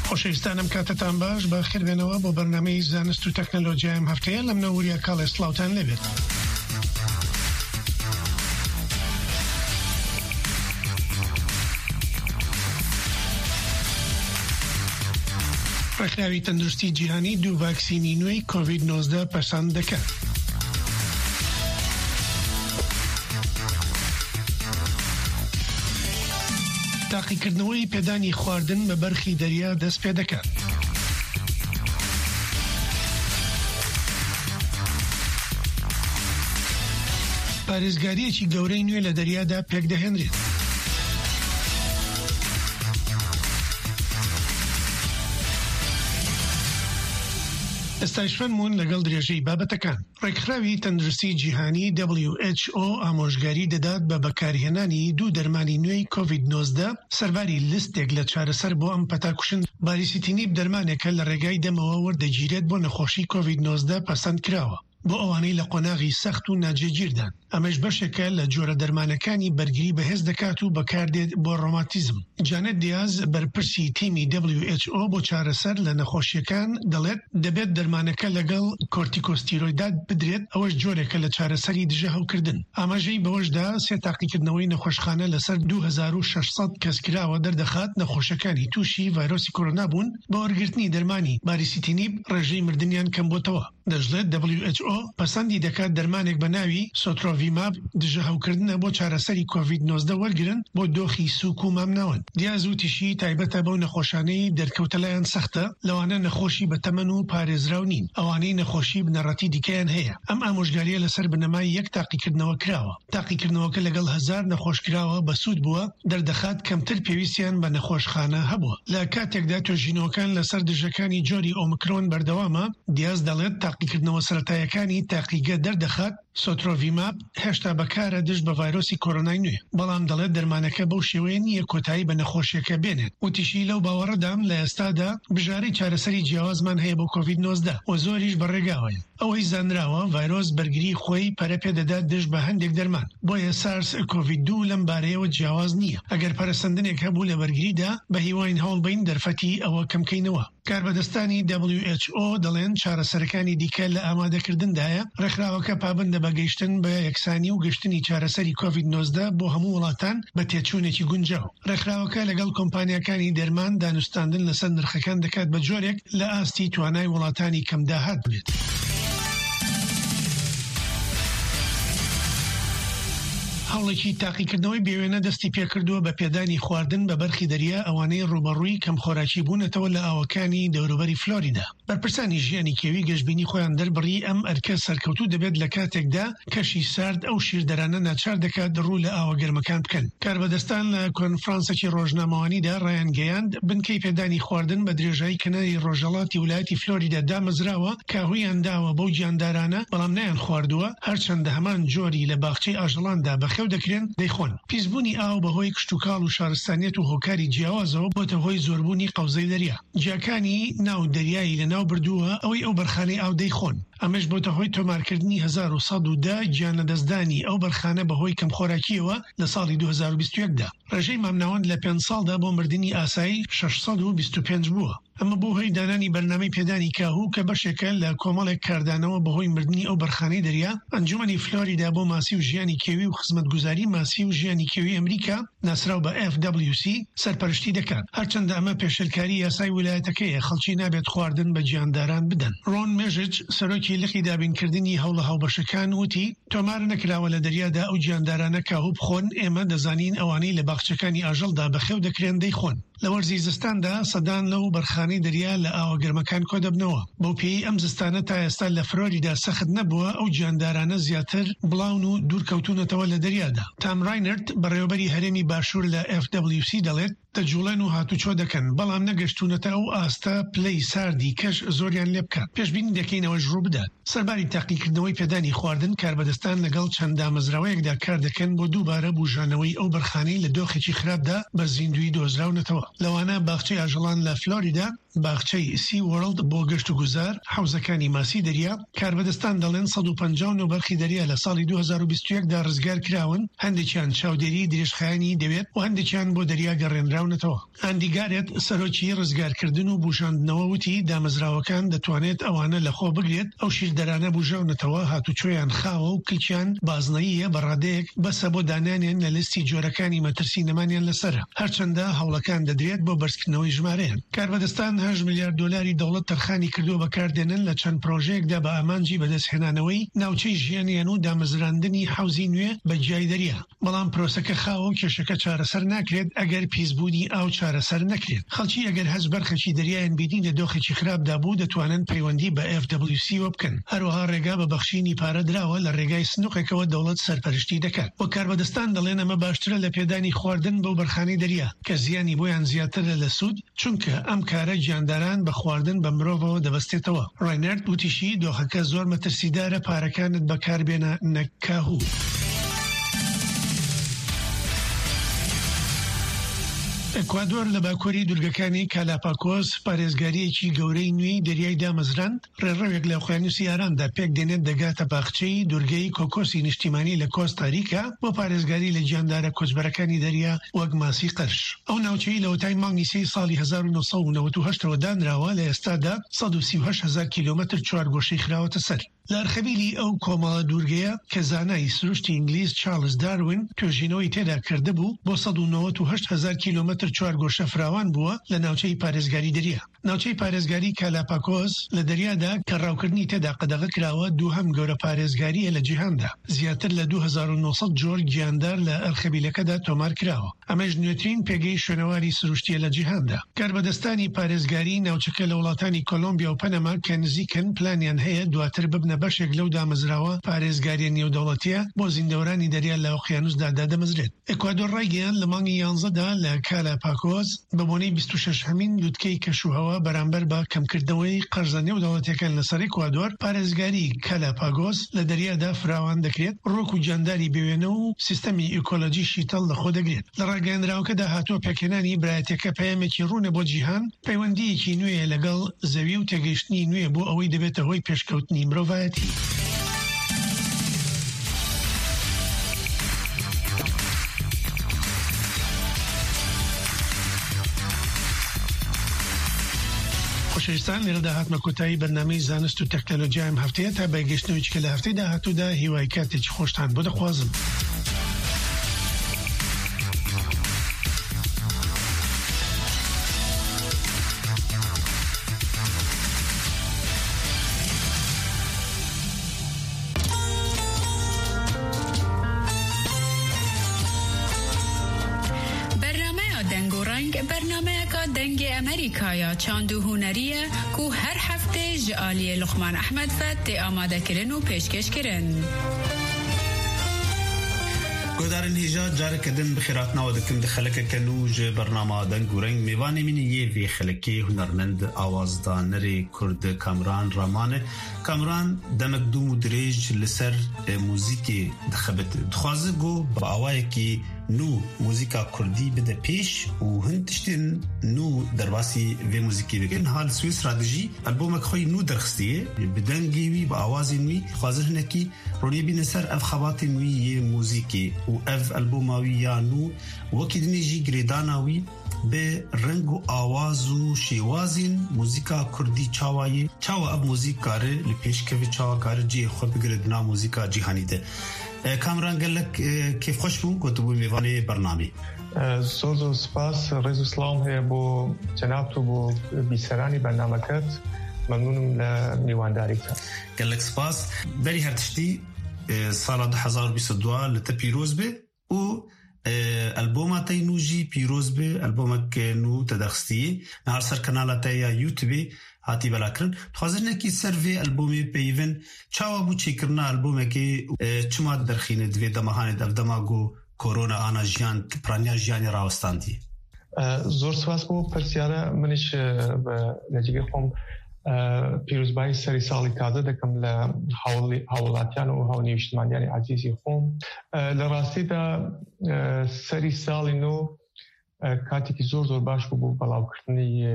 خۆشەویستانم، کاتتان باش، بەخێر بێنەوە بۆ بەرنامەی زانست و تەکنەلۆجیای ئەم هەفتەیە. لە منەوە وریا کاڵێ سڵاوتان لێبێت. ڕێکخراوی تەندروستی جیهانی دوو ڤاکسینی نوێی کۆڤید نۆزدە پەسەند دەکات. تاقیکردنەوەی پێدانی خواردن بە بەرخی دەریا دەست پێ دەکات. پارێزگاریەکی گەورەی نوێ لە دەریادا پێکدەهێنرێت. ئێستاش فەرموون لەگەڵ درێژەی بابەتەکان. ڕێکخراوی تەندروستی جیهانی، W H O، ئامۆژگاری دەدات بە بەکارهێنانی دوو دەرمانی نوێی کۆڤید نۆزدە سەرباری لیستێک لە چارەسەر بۆ ئەم پەتاکوشن. باریسیتینیب دەرمانێکە لە ڕێگای دەمەوە وەردەگیرێت بۆ نەخۆشی کۆڤید نۆزدە پەسەند کراوە بۆ ئەوانەی لە قۆناغی سەخت و ناجێگیردان. ئەمەش بەشێکە لە جۆرە دەرمانەکانی بەرگری بەهێز دەکات و بەکاردێت بۆ ڕۆماتیزم. جانێت دیاز، بەرپرسی تیمی W H O بۆ چارەسەر لە نەخۆشیەکان، دەڵێت دەبێت دەرمانەکە لەگەڵ کۆرتیکۆستیرۆیدات بدرێت، ئەوەش جۆرێکە لە چارەسەری دژە هەوکردن. ئاماژەی بەوەشدا، سێ تاقیکردنەوەی نەخۆشخانە لەسەر دوو هەزار و شەش سەد کەس کراوە دەردەخات نەخۆشەکانی تووشی ڤایرۆسی کۆرۆنا بوون، بە وەرگرتنی دەرمانی باریسیتینیب ڕێژەی مردنیان کەم بۆتەوە. دەژڵێت W H O پەسەندی دەکات دەرمانێک بە ناوی سۆترۆڤیماب دژە هەوکردنە بۆ چارەسەری کۆڤید نۆزدە وەرگرن بۆ دۆخی سووک و مامناوەند. دیاز وتیشی تایبەتە بەو نەخۆشانەی دەرکەوتە لایەن سەختە، لەوانە نەخۆشی بە تەمەن و پارێزراو نین، ئەوانەی نەخۆشی بنەڕەتی دیکەیان هەیە. ئەم ئامۆژگاریە لەسەر بنەمای یەک تاقیکردنەوە کراوە. تاقیکردنەوەکە لەگەڵ هەزار نەخۆش کراوە، بەسوود بووە، دەردەخات کەمتر پێویستیان بە نەخۆشخانە هەبووە. لە کاتێکدا توێژینەوەکان لەسەر دژەکانی جۆری ئۆمکرۆن بەردەوامە، دیاز دەڵێت تاقیکردنەوە سەرەتایەکانی تاقیگە دەردەخات سۆترۆڤیماب هێشتا بەکارە دژ بە ڤایرۆسی کۆرۆنای نوێ، بەڵام دەڵێت دەرمانەکە بەو شێوەیە نییە کۆتایی بە نەخۆشیەکە بێنێت. وتیشی لەو باوەڕەدام لە ئێستادا بژارەی چارەسەری جیاوازمان هەیە بۆ کۆڤید نۆزدە و زۆریش بەڕێگاوەیە. ئەوەی زانراوە، ڤایرۆس بەرگری خۆی پەرە پێدەدات دژ بە هەندێک دەرمان. بۆیە سارس کۆڤید دوو لەم بارەیەوە جیاواز نییە. ئەگەر پەرەسەندنێک هەبوو لە بەرگریدا، بە هیواین هەوڵ بین دەرفەتی ئەوە کەمکەینەوە. کاربەدەستانی W H O دەڵێن چارەسەرەکانی دیکە لە ئامادەکردندایە. ڕێکخراوەکە پابندە بە گەیشتن بە یەکسانی و گشتنی چارەسەری کۆڤید نۆزدە بۆ هەموو وڵاتان بە تێچوونێکی گونجاو. ڕێکخراوەکە لەگەڵ کۆمپانیاکانی دەرمان دانوستاندن لەسەر نرخەکان دەکات بە جۆرێک لە ئاستی توانای وڵاتانی کەم داهات بێت. هەوڵێکی تاقیکردنەوەی بێوێنە دەستی پێکردووە بە پێدانی خواردن بە بەرخی دەریا ئەوانەی ڕوبەڕووی کەم خۆراکی بوونەتەوە لە ئاوەکانی دەوروبەری فلۆریدا. بەرپرسانی ژیانی کێوی گەشتبینی خۆیان دەربڕی ئەم ئەرکە سەرکەوتوو دەبێت لە کاتێکدا کەشی سارد ئەو شیردەرانە ناچار دەکات ڕوو لە ئاوە گەرمەکان بکەن. کاربەدەستان لە کۆنفرانسێکی ڕۆژنامەوانیدا ڕایانگەیاند بنکەی پێدانی خواردن بە درێژایی کەناری ڕۆژهەڵاتی ویلایەتی فلۆریدا دامەزراوە، کە هویان داوە بەو گیاندارانە، بەڵام نەیان خواردووە، هەرچەندە هەمان جۆری لە باخچەی ئاژەڵاندا بەخێو دەکرێن، دەیخۆن. پیسبوونی ئاو بەهۆی کشتوکاڵ و شارستانیەت و هۆکاری جیاوازەوە بۆتە هۆی زۆربوونی قەوزەی دەریا. جیاکانی ناو دەریایی لە ناو بردووە، ئەوەی ئەو بەرخانەی ئاو دەیخۆن. ئەمەش بۆتە هۆی تۆمارکردنی هەزار و سەد و دە گیانەدەستدانی ئەو بەرخانە بەهۆی کەمخۆراکیەوە لە ساڵی دوو هەزار و بیست و یەک دا. ڕێژەی مامناوەند لە پێنج ساڵدا بۆ مردنی ئاسایی شەش سەد و بیست و پێنج بووە. ئەمە بۆ هۆی دانانی بەرنامەی پێدانی کاهو کە بەشێکە لە کۆمەڵێک کاردانەوە بەهۆی مردنی ئەو بەرخانەی دەریا. ئەنجومەنی فلۆریدا بۆ ماسی و ژیانی کێوی و خزمەتگوزاری ماسی و ژیانی کێوی ئەمریکا، ناسراو بە F W C، سەرپەرشتی دەکات، هەرچەندە ئەمە پێشێلکاری یاسای ویلایەتەکەیە، خەڵکی نابێت خواردن بە گیانداران بدەن. ڕۆن مێژج، سەرۆکی لقی دابینکردنی هەوڵە هاوبەشەکان، وتی تۆمار نەکراوە لە دەریادا ئەو گیاندارانە کاهو بخۆن، ئێمە دەزانین ئەوانەی لە باخچەکانی ئاژەڵدا بەخێو دەکرێن دەیخۆن. لە وەرزی زستاندا سەدان لەو بەرخانەی دەریا لە ئاوە گەرمەکان کۆدەبنەوە. بەو پێی ئەم زستانە تا ئێستا لە فلۆریدا سەخت نەبووە، ئەو گیاندارانە زیاتر بڵاون و دوورکەوتونەتەوە لە دەریادا. تام ڕاینرد، بەڕێوەبەری هەرێمی باشوور لە F W C، دەڵێت دەجوڵێن و هاتوچۆ دەکەن، بەڵام نەگەشتونەتە ئەو ئاستە پلەی ساردی کەش زۆریان لێ بکات. پێشبینی دەکەین ئەوەش ڕوو بدات. سەرباری تاقیکردنەوەی پێدانی خواردن، کاربەدەستان لەگەڵ چەند دامەزراوەیەکدا کار دەکەن بۆ دووبارە بوژانەوەی ئەو بەرخانەی لە دۆخێکی خراپدا بە زیندوی دۆزراونەتەوە، لەوانە باخچەی ئاژەڵان لە فلۆریدا، باخچەی سی وۆرلد بۆ گەشت و گوزار، حەوزەکانی ماسی دەریا. کاربەدەستان دەڵێن سەد و پەنجا و نۆ بەرخی دەریا لە ساڵی دوو هەزار و بیست و یەک دا ڕزگار کراون، هەندێکیان چاودێری درێژخایەنی دەوێت و هەندێکیان بۆ دەریا گەڕێنراونەتەوە. ئاندی گارێت، سەرۆکی ڕزگارکردن و بوژاندنەوە، وتی دامەزراوەکان دەتوانێت ئەوانە لەخۆ بگرێت، ئەو شیردەرانە بوژاونەتەوە، هاتوچۆیان خاوە و کلکیان بازنەییە، بە ڕادەیەک بەسە بۆ دانانیان لە لیستی جۆرەکانی مەترسی نەمانیان لەسەرە، هەرچەندە هەوڵەکان دەدرێت بۆ بەرزکردنەوەی ژمارەیان. کاربەدەستان هەشت ملیار دۆلاری دەوڵەت تەرخانی کردووە بە کاردێنن لە چەند پرۆژەیەکدا بە ئامانجی بەدەستهێنانەوەی ناوچەی ژیانیان و دامەزراندنی حەوزی نوێ بە جیای دەریا. بەڵام پرۆسەکە خاوە و کێشەکە چارەسەر ناکرێت ئەگەر پیسبوونی ئاو چارەسەر نەکرێت. خەڵکی ئەگەر هەست بەرخەکی دەریایان بینی لە دۆخێکی خراپدا بوو، دەتوانن پەیوەندی بە F W C وە بکەن. هەروەها ڕێگا بە بەخشینی پارە دراوە، لە ڕێگای سندوقێکەوە دەوڵەت سەرپەرشتی دەکات. و کاربەدەستان دەڵێن ئەمە باشترە لە پێدانی خواردن بەو بەرخانەی دەریا، کە زیانی بۆیان زیاترە لە سوود، چونکە ئەم کارە گیانداران بە خواردن بە مرۆڤەوە دەبەستێتەوە. ڕاینەرد وتیشی دۆخەکە زۆر مەترسیدارە، پارەکانت بەکاربێنە نەک کاهوو. ئەکوادۆر لە باکووری دوورگەکانی کالاپاکۆس پارێزگاریەکی گەورەی نوێی دەریای دامەزراند. ڕێڕەوێک لە ئۆقیانوسی ئارامدا پێک دێنێت، دەگاتە باخچەی دوورگەی کۆکۆسی نیشتیمانی لە کۆستاریکا بۆ پارێزگاری لە گیاندارە کۆچبەرەکانی دەریا وەک ماسی قەرش. ئەو ناوچەی لە وەتای مانگی سێی ساڵی هەزار و نۆ سەد و نەوەد و هەشتەوە دانراوە، لە ئێستادا سەد و سی و هەشت هەزار کیلۆمەتر چوارگۆشەی خراوەتە سەر. لە ئەرخەبیلی ئەو کۆمەڵە دوورگەیە کە زانای سروشتی ئینگلیز چارلز داروین توێژینەوەی تێدا کردبوو، بۆ سەد و نەوەد و هەشت هەزار کیلۆمەتر چوارگۆشە فراوان بووە لە ناوچەی پارێزگاری دەریا. ناوچەی پارێزگاری کالاپاکۆس لە دەریادا کە ڕاوکردنی تێدا قەدەغە کراوە، دووهەم گەورە پارێزگاریە لە جیهاندا. زیاتر لە دوو هەزار و نۆ سەد جۆر گیاندار لە ئەرخەبیلەکەدا تۆمار کراوە. ئەمەش نوێترین پێگەی شوێنەواری سروشتیە لە جیهاندا. کاربەدەستانی پارێزگاری ناوچەکە لە وڵاتانی کۆلۆمبیا و پەنەما کە نزیکن، پلانیان هەیە دواتر ببنە بەشێک لەو دامەزراوە پارێزگاریە نێودەوڵەتیە بۆ زیندەوەرانی دەریا لە ئۆقیانوسدا دادەمەزرێت. ئەکوادۆر ڕایگەیاند لە مانگی یانزەدا لە کالا Galapagos بە بۆنەی بیست و شەش هەمین لوتکەی کەشوهەوا بەرامبەر بە کەمکردنەوەی قەرزە نێودەوڵەتیەکان لەسەر ئیکوادۆر، پارێزگاری کالاپاگۆس لە دەریادا فراوان دەکرێت، ڕۆک و جانداری بێوێنە و سیستەمی ئیکۆلۆجی شیتەڵ لەخۆ دەگرێت. لە ڕاگەیاندراوەکەدا هاتووە پێکهێنانی برایەتەکە پەیامێکی ڕوونە بۆ جیهان، پەیوەندیەکی نوێیە لەگەڵ زەوی و تێگەیشتنی نوێ بۆ ئەوەی دەبێتە هۆی پێشکەوتنی مرۆڤایەتی. خۆشەویستان، لێرەدا هاتمە کۆتایی بەرنامەی زانست و تەکنەلۆجیای ئەم هەفتەیە. تا بەگەشتنەوەی چکە لە هەفتەی داهاتوودا، هیوای کاتێکی خۆشتان بۆ دەخوازم. Bernameya Deng û Reng, bernameyeka Dengê Amerîkaya çand û hunerî ye ku her heftê ji aliyê Luqman Ehmed ve tê amadekirin û pêşkêşkirin. Guhdarên hêja, careke din bi xêr hatina we dikim di xelekeke nû ji bernama Deng û Reng. Mêvanê min yê vê xelekê hunermend, awazdanerê Kurd Kamran Raman e. Kamran demek dûm û dirêj li ser, e, muzîkê dixebite. Dixwaze ku bi awayekî nû muzîka kurdî bide pêş û hin tiştên nû derbasî vê muzîkê bikin. Niha li Swîsra dijî, albomek xwe yî nû derxistiye. Bi dengê wî, bi awazên wî dixwazin hinekî ronî bîne ser ev xebatên wî yê muzîkê û ev alboma wî ya nû, wekî dinê jî girêdana wî bi reng û awaz û şêwazên muzîka kurdî çawa ye, çawa ev muzîk kare li pêş keve, çawa kare cihê xwe bigire di nav muzîka cîhanî de. E, Kamran, gelek, e, kêfxweş bûm ku tu bû mêvanê bernamê. E, zor zor spas, rêz û silam heye bo cenab tu, bo bîseranî bernameket. Memnûnim le mîwandarî te. Gelek spas. Berî her tiştî, e, sala du hezar û bîst û dua li te pîroz be û, e, alboma te nû jî pîroz be, albomek, e, nû te derxistî. Niha ser kanala te ya YouTube hatî belakirin. Dixwazin hinekî ser vê albomê peyivin. Çawa bû çêkirina albomekê, e, çima derxîne di vê dema hanê de, ev dema ku korona ana jiyan, piraniya jiyanê rawestandî? E, zor spas bo pirsiyara min îş, e, bi lecigê xwe, e, pîrozbayî serî salî taze dikim li hawlî-, hawlatiyan û hawnîştimaniyanê ezîzî xwe. E, li rastî de, e, serî salî nû, e, katekî zor zor baş bû bo belawkirdinî, e,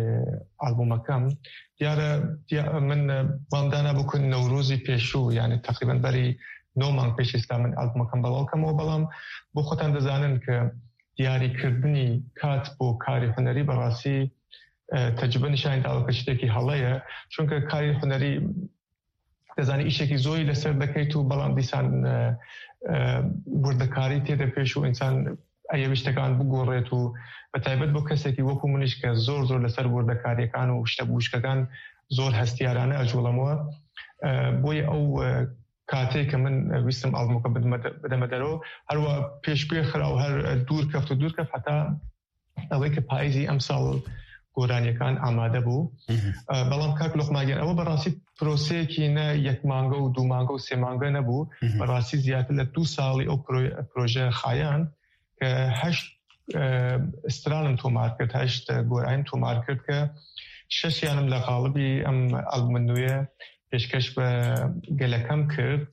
albûmeke. Diyar e, diya-, min, e, bang dana bo ku Newrozî pêşû, yanî teqrîben berî neh mang pêş hêsta min albûmeke belaw kemê, belam bo xwe tan dizanin ku diyarîkirdinî kat bo karê hunerî bi rastî, e, tecrube nîşanî daye ku tiştekî hela ye. Çunke karê hunerî, dizanî, îşekî zor î li ser diket û belam dîsan, e, e, wirdekarî tê de pêş û însan ê tiştekan bigorêt û bi taybet bo kesekî wekî min îş ke zor zor li ser wirdekariyêkan û tiştebûşkekan zor hestiyarane e ji wila min. E, boyê ew, e, katê ke min, e, wîstim albûmeke bidime de-, bideme dero, her wa pêşguhê xira û her, e, dûr keft û dûr keft heta ewê ke payîzî emsal goraniyêkan amade bû. Mhm. E, belam kak Luqman Gel, ew bi rastî proseyekî ne yek mange û du mange û sê mange nebû. Mhm. Bi rastî ziyartir li du salî ew pro-, proje xayan ke heşt, e, stranim tomar kir, heşt, e, gorayim tomar kir ke şeş yanim li xalibî em albûmê nû ye pêşkeş bi gelek em kir.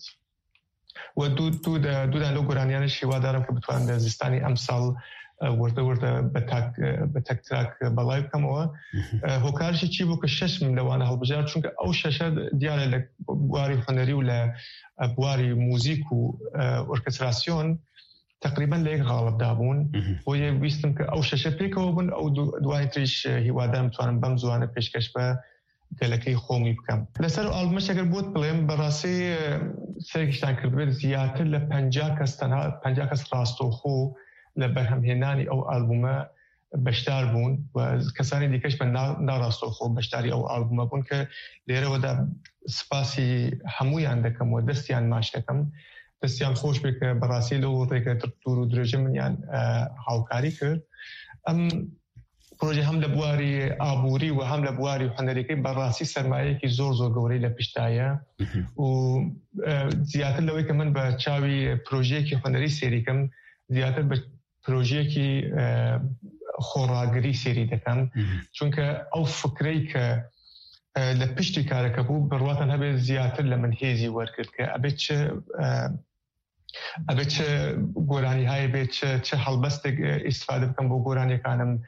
We du, du de, du de lo goraniyan şîwa darim ke bitwanin de zistanî emsal, e, wirde wirde bi tak, e, bi tek trak, e, belay bikim we. Mhm. E, hokar jî çi bû ke şeş min li wan hilbijart, çunke ew şeşe diyar e li buarî hunerî û li, e, buarî muzîk û, e, orkestrasyon teqrîben li yek xalib dabûn. Mhm. Boyê wîstim ke ew şeşe pêkeve bin, ew du, duayê tîş, e, hîwa darim bitwanim bem ziwane pêşkeş be gelekî xomî bikim. Li ser albûmê eger bot bilêm, bi rastî, e, serkiştan kirdibe ziyartir li penca kes, tenha penca kes rastoxo li berhemhênanî ew albûme beşdar bûn û kesanî dîkeş bi na, na rastoxo beşdarî ew albûme bûn ke lêre we de spasî hemûyan dikim û destiyan maç dikim. Destiyan xweş be ke bi rastî li rêke dûr û dirêjê min yan, e, hawkarî kir. Em proje hem li buarî aborî û hem li buarî hunerîkî bi rastî sermayeyekî zor zor gewrî li pişt daye. Mhm. Û, e, ziyartir li wê ke min bi çawî projeyekî hunerî sêrî kim, ziyartir bi projeyekî, e, xoragirî sêrî dikim. Çunke ew fikrey ke, e, li piştî kareke bû, bi rwatan hebe ziyartir li min hêzî wergirt ke ebe çi, e, ebe çi goranîhayê bê, çi, çi helbestek, e, îstifade bikim bo goraniyekanim,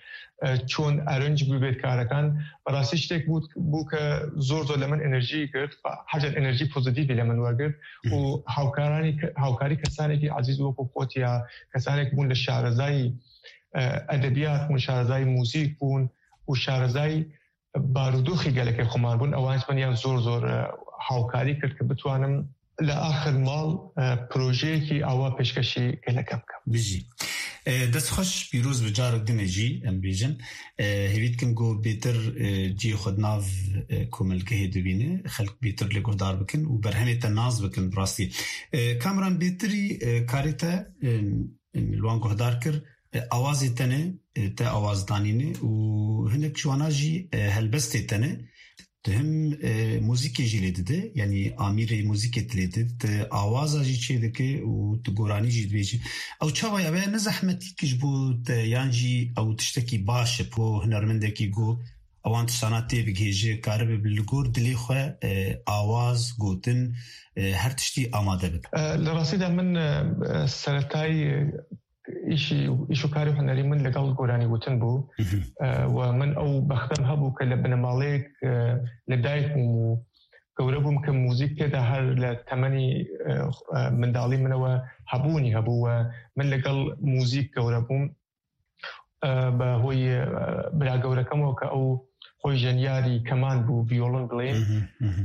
e, çon erinc bibêt karekan. Bi rastî ştek bû, bû ke zor zor li min enerjî girt, hecan enerjî pozîtîfî li min wergirt û hawkaranî ke-, hawkarî kesanekî ezîz wekû Xotiya, kesanek bûn li şarezayî, e, edebiyat bûn, şarezayî muzîk bûn û şarezayî barûdoxî gelekê xwe man bûn. Ewan ji min yan zor zor, e, hawkarî kir ke bitwanim li axir mal, e, projeyekî awa pêşkêşî geleke bikim. Bijî. E, dest xweş, pîroz bi carek din jî em bêjin. E, hêvî dikim ku bêtir, e, cihê xwe di nav, e, komilgehê dibîne, xelk bêtir lê guhdar bikin û berhemê te nas bikin bi rastî. E, Kamran, bêtirî, e, karê te, e, li wan guhdar kir, e, awazê te ne, e, te awaz danîne û hinek ji wana jî, e, helbestê te ne. Tu him, e, muzîkê jî lê dide, yanî amîrê muzîkê tu lê dide, tu awaza jî çê dike û tu goranî jî dibêjî. Ew çawa ye? Ew ne zehmetîk ji bo te yan jî ew tiştekî baş e bo hunermendekî ku ewan tiştana tê bigihêje, karibe bi li gor dilê xwe, e, awaz, gotin, e, her tiştî amade bike? E, li rastî de min, e, e, seretayî, e, îşî, îş û karê hunerî min li gel goranî gotin bû. E, we min ew bextem hebû ke li binemaleyek, e, li dayik bûm û gewre bûm ke muzîk tê de her li temenî, e, e, mindalî min we hebûnî hebû we min li gel muzîk gewre bûm. E, bi hoyê, e, bira gewrekem we ke ew xwe jeniyarî keman bû, viyolon bilê.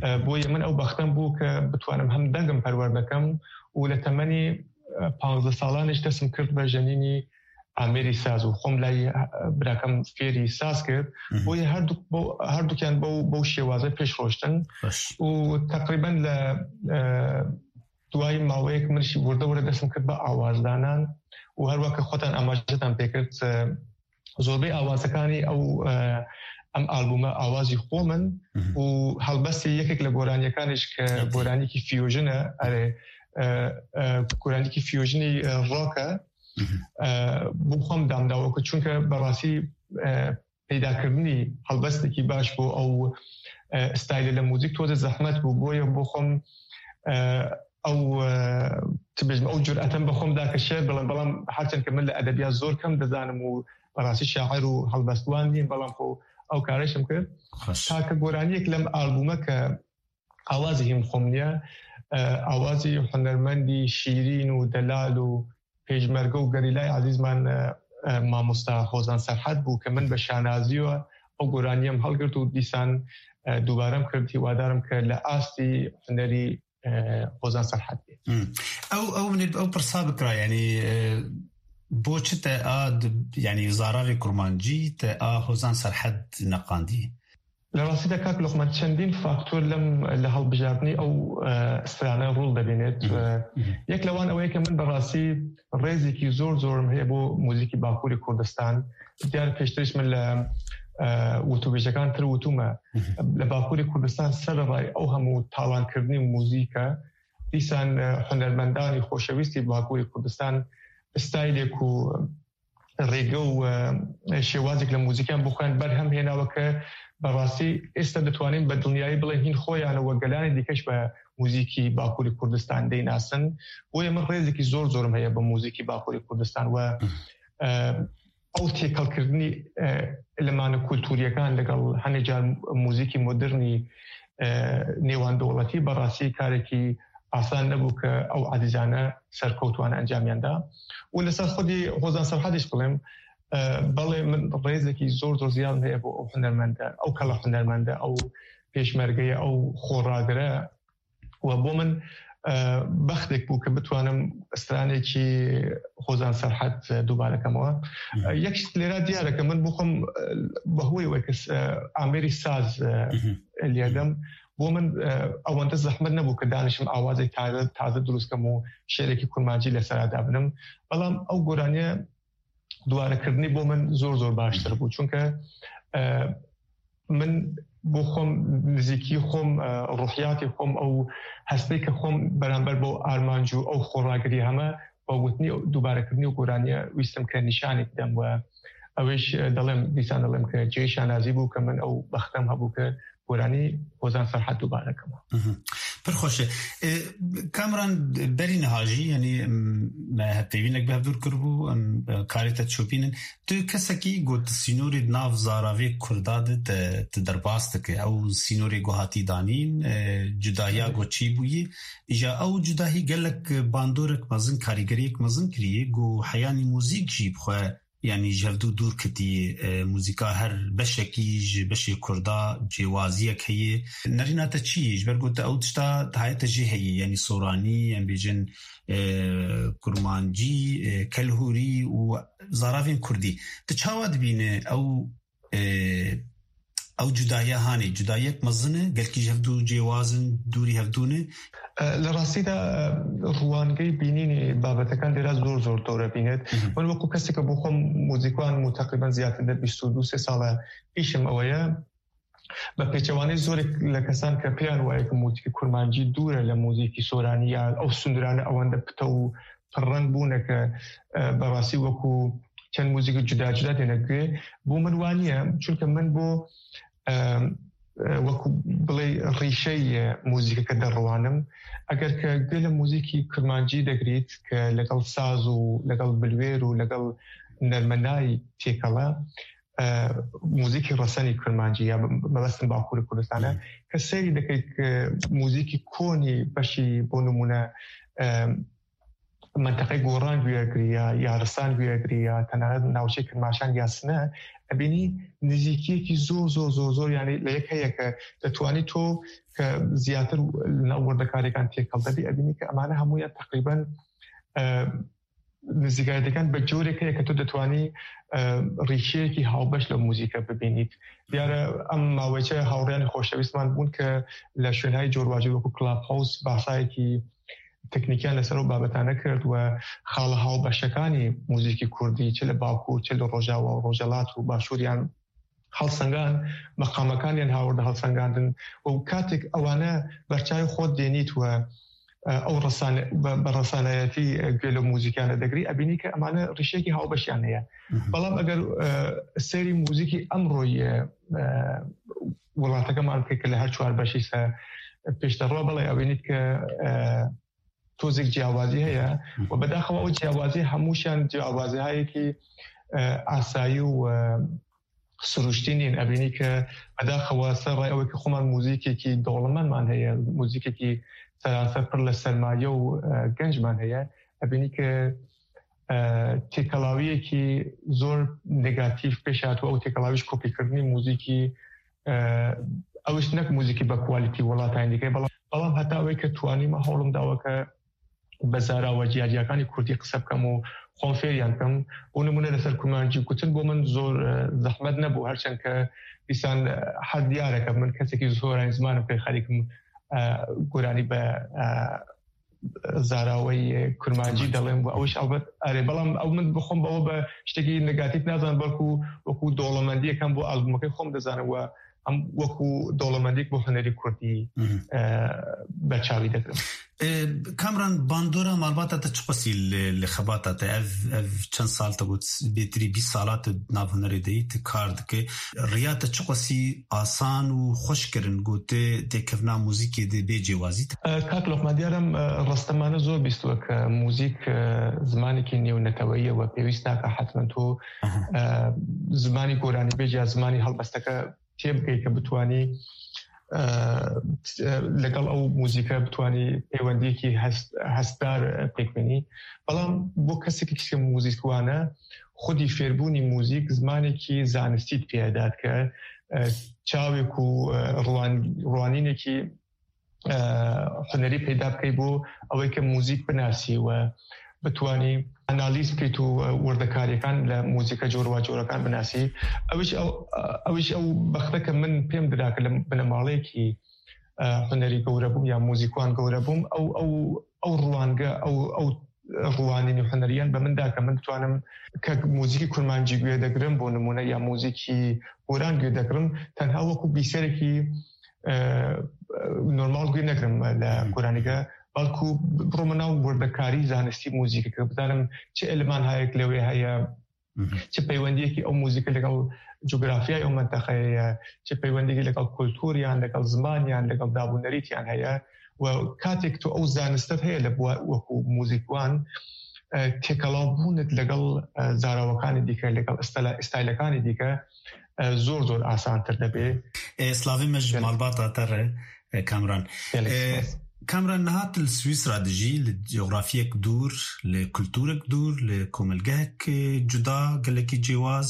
E, boye min ew bextem bû ke bitwanim hem dengim perwerde kem û li temenî, e, panzdeh salan jî destim kir be jenînî amêrî saz û xwem layî, e, birakem fêrî saz kir. Boye her du, bo, her dukiyan bo, bo şêwaze pêş roştin. Û teqrîben li, e, duayî maweyek min jî wirde wirde destim kir be awazdanan û her weke xwetan amajetan pêkirt, e, zorbey awazekanî ew, e, em albûme awazî xwe min û helbestî yekek li goraniyekan jî ke goranîkî fusion e, erê, e, e, goranîkî fusionî, e, rock e, e, bo xwe em dam dawo ku çunke berastî, e, peydakirinî helbestekî baş bû ew, e, staylê li muzîk toze zehmet bû. Boye bo xwe em, e, ew, e, çi bêjim, ew cur'etem bi xwe em da ke şiir bilim, belam her çend ke min li edebiyat zor kem dizanim û berastî şair û helbestwan nîm, belam xwe ew kare şim kir. Ta ke goraniyek lem albûme ke awazî hîn xwe min ye, e, awazî hunermendî şîrîn û delal û pêşmerge û gerîlayê ezîz man, e, e, mamosta Hozan Serhed bû ke min bi şanazî we ew goraniyê em hilgirt û dîsan, e, dubare em kir, hîwadarim ke li astî hunerî, e, Hozan Serhed bê. Ew, ew min ê ew pirsa bikira, yanî, e, bo çi te a di, yanî zararê kurmancî te a Hozan Serhed neqandî? Li rastî de kak Loqman, çendîn faktor lem li hilbijartinî ew, e, strane rol dibînêt. E, yek li wan ew ye ke min bi rastî rêzekî zor zor min heye bo muzîkî Bakurê Kurdistan. Diyar pêştir jî min li, e, witûbêjekan tir witûme. Li Bakurê Kurdistan sererayê ew hemû talankirinî muzîk e. Dîsan, e, hunermendanî xoşewîstî Bakurê Kurdistan staylê ku rêge û, e, şêwazek li muzîkan bixwên berhem hêna we ke bi rastî êsta ditwanîn bi dinyayê bilên hîn xwe yan we gelanê dîke ji bi muzîkî Bakurê Kurdistan deynasin. Boye min rêzekî zor zor min heye bi muzîkî Bakurê Kurdistan we, e, ew têkelkirinî, e, elemanê kultûriyekan legel henê car muzîkî modernî, e, nêwan dewletî bi rastî karekî asan nebû ke ew ezîzane serkewt wan encamiyan da. Û li ser xwedî Hozan Serhedê jî bilim, e, belê min rêzekî zor zor ziyad heye bo ew hunermende, ew kela hunermende, ew pêşmergeye, ew xoragire. Û bo min, e, bextek bû ke bitwanim stranekî Hozan Serhed, e, dubare kemewe. E, yek jî lêra diyar e ke min bixwim, e, bi hoyê weke, e, amêrî saz, e, lêdim. Bo min, e, ewende zehmet nebû ke danişim awazê taze, taze dirust kem û şêrekî kurmancî li ser dabinim. Belam ew goraniye dubarekirinî bo min zor zor baştir bû. Çunke, e, min bo xwem nizîkî xwem, e, ruhiyatê xwem ew hestê ke xwem beramber bo armanc û ew xoragirî heme, bi gotinî dubarekirinî û goraniye wîstim ke nîşanê bidem we. ئەوەیش دەڵێم، دیسان دەڵێم کە جێی شانازی بوو کە من ئەو بەختەم هەبوو کە گۆرانی هۆزان سەرحەد دووبارە کەمەوە. پڕ خۆشە. کامران، بەری نەهاژی یعنی هەتێوینێک بە هەبدور کرد بوو ئەم کارێتە چۆپینن. Tu kesekî got sînorê di nav zaravê Kurda de te, te derbas dike. Ew sînorê ku hatî danîn, e, cudahiya ku çî bûyî. Îja ew cudahî gelek bandorek mezin, karîgeriyek mezin kiriye. Ku heyanî muzîk jî bi xwe, yanî ji hevdû dûr kitiye. E, muzîka her beşekî ji beşê Kurda cêwaziyek heye. Nerîna te çi ye? Ji ber ku te ew tişta dihayete jê heye. Yanî soranî, em bêjin, e, kurmancî, e, kelhûrî û zaravên kurdî. Tu çawa dibîne ew, e, ew cudahiya hanê? Cudahiyek mezin e? Gelkî ji hevdû cêwaz in, dûrî hevdû ne? E, li rastî de, e, ruwangey bînînê babetekan dêra zor zor dor ebînet. Min wekû keseke bo xwe muzîkwan û teqrîben ziyartir de bîst û du sê sal e îşim ew e. Bi pêçewanê zorek li kesan ke pêyan wayê ke muzîkî kurmancî dûr e li muzîkî soranî ya ew sundurane ewende pite û pirreng bûne ke, e, berastî wekû çend muzîkî cuda cuda têne guhê. Bo min wa niye, çunke min bo, e, e, wekû bilê rîşeyê muzîkeke derriwanim. Eger ke guh li muzîkî kurmancî degirît ke legel saz û legel bilwêr û legel nermenayî têkele, e, muzîkî resenî kurmancî ya mebestin Bakurê Kurdistan e. Ke seyrî dikey ke muzîkî konî beşî bo nimûne, e, menteqey Goran guya girî ya, ya Risan guya girî ya, tenere navçeyê Kirmaşan ya Sine, ebînî nizîkiyekî zor, zor, zor, zor, yanî li yek heye ke detwanî to ke ziyatir li nav wirdekarêkan têkelde bî, ebînî ke emane hemûyan teqrîben, e, nizîkayetêkan bi corek heye ke tu detwanî, e, rîşeyekî hawbeş li muzîke bibînît. Diyar e, em maweçe hawriyanê xoşewîstman bûn ke li şwênhayê corbacor wekû Clubhouse bahsayekî teknîkiyan leser ew babetane kir û xala hawbeşekanî muzîkî kurdî, çi li Bakur, çi li Rojava û Rojhelat û Başûr yan helsengan, meqamekan yên hawirde helsengandin û katek ewane ber çavê xwe dênît we, e, ew resane-, be, be resanayetî, e, guhê li muzîkane degirî, ebînî ke emane rîşeyekî hawbeşiyan heye. Belam eger, e, seyrî muzîkî emroyê, e, welatekeman ke, ke li her çar beşî se pêş de re, belê ebînît ke, e, tozek ciyawazî heye. Û bedaxewa ew ciyawazî hemûşiyan ciyawazîhayekî, e, asayî û, e, siruştî nîn. Ebînî ke bedaxewa ser rê ew ke xweman muzîkekî dewlemendman heye, muzîkekî seranser pir li sermaye û, e, gencman heye. Ebînî ke, e, têkelawiyekî zor negatîf pêş hatibû, ew têkelawî ji kopîkirinî muzîkî, e, ew ji nek muzîkî be quality welatayên dîke, belam, belam heta wê ke twanîme hewlim dawe ke bi zara we ciyaciyakanî kurdî qise bikim û xwe fêriyan bikim. Bo nimûne li ser kurmancî gotin bo min zor, e, zehmet nebû, her çend ke dîsan, e, hez diyar e ke min kesekî zor e, zimanim pê xerîkim, e, goranî be, e, zara we yê kurmancî delên û ew iş elbet erê. Belam ew min bi xwe be, ew be tiştekî negatîf nazanim, belkû wekû dewlemendiyek hem bo albûmekê xwe dizanim we em wekû dewlemendiyek bo hunerî kurdî, e, ber çavî digirim. E, Kamran, bandora malbata te çiqasî li, li xebata te? Ev, ev çend sal te got, bêtirî bîst sala tu nav hunerê de yî, tu kar dike. Riya te çiqasî asan û xweş kirin, got, têkevna muzîkê de bê cêwazî te? E, kak Lokman, diyar em, e, restemane zor bîst wek, e, muzîk, e, zimanekî nêwneteweyî ye we pêwîst nake hetmen tu, e, zimanî goranîbêj ya zimanî helbesteke tê bikey ke bitwanî, e, e, legal ew muzîke bitwanî peywendiyekî hest-, hestdar, e, pêk bînî. Belam bo kesekî kişke muzîkwan e, xwedî fêrbûnî muzîk zimanekî zanistî pê dike. E, çavê ku, e, ruwan-, ruwanînekî, e, hunerî peyda bikey bo ew ê ke muzîk binasî we bitwanî analîz bikey û, e, wirdekariyêkan li muzîka coracorakan binasî. Ew iş ew, ew iş ew bexte ke min pêm dida ke li binemaleyekî, e, hunerî gewre bûm ya muzîkwan gewre bûm. Ew, ew, ew ruwange, ew, ew ruwanînî huneriyan bi min da ke min ditwanim ke muzîkî kurmancî guye degirim, bo nimûne ya muzîkî goran guye degirim, tenha wekû bîserekî, e, normal guye negirim li goranî de. Belkû birome nav wirdekarî zanistî muzîkê ke bizanim çi eleman hayek lewê heye, چ پەیوەندیەکی ئەو موزیکە لەگەڵ جوگرافیای ئەو منتەقەیە، چ پەیوەندیەکی لەگەڵ کولتوریان، لەگەڵ زمانیان، لەگەڵ دابوونەریتیان هەیە. و کاتێک تۆ ئەو زانستت هەیە لە بووە وەکو موزیکوان، تێکەڵاوبوونت لەگەڵ زاراوەکانی دیکە، لەگەڵ ئستایلەکانی دیکە زۆر زۆر ئاسانتر دەبێ. Slavê me ji malbata te re, Kamran. Kamran, niha tu li Swîsra dijî, li cografiyek dûr, li kulturek dûr, li komelgehek cuda, gelekî cêwaz,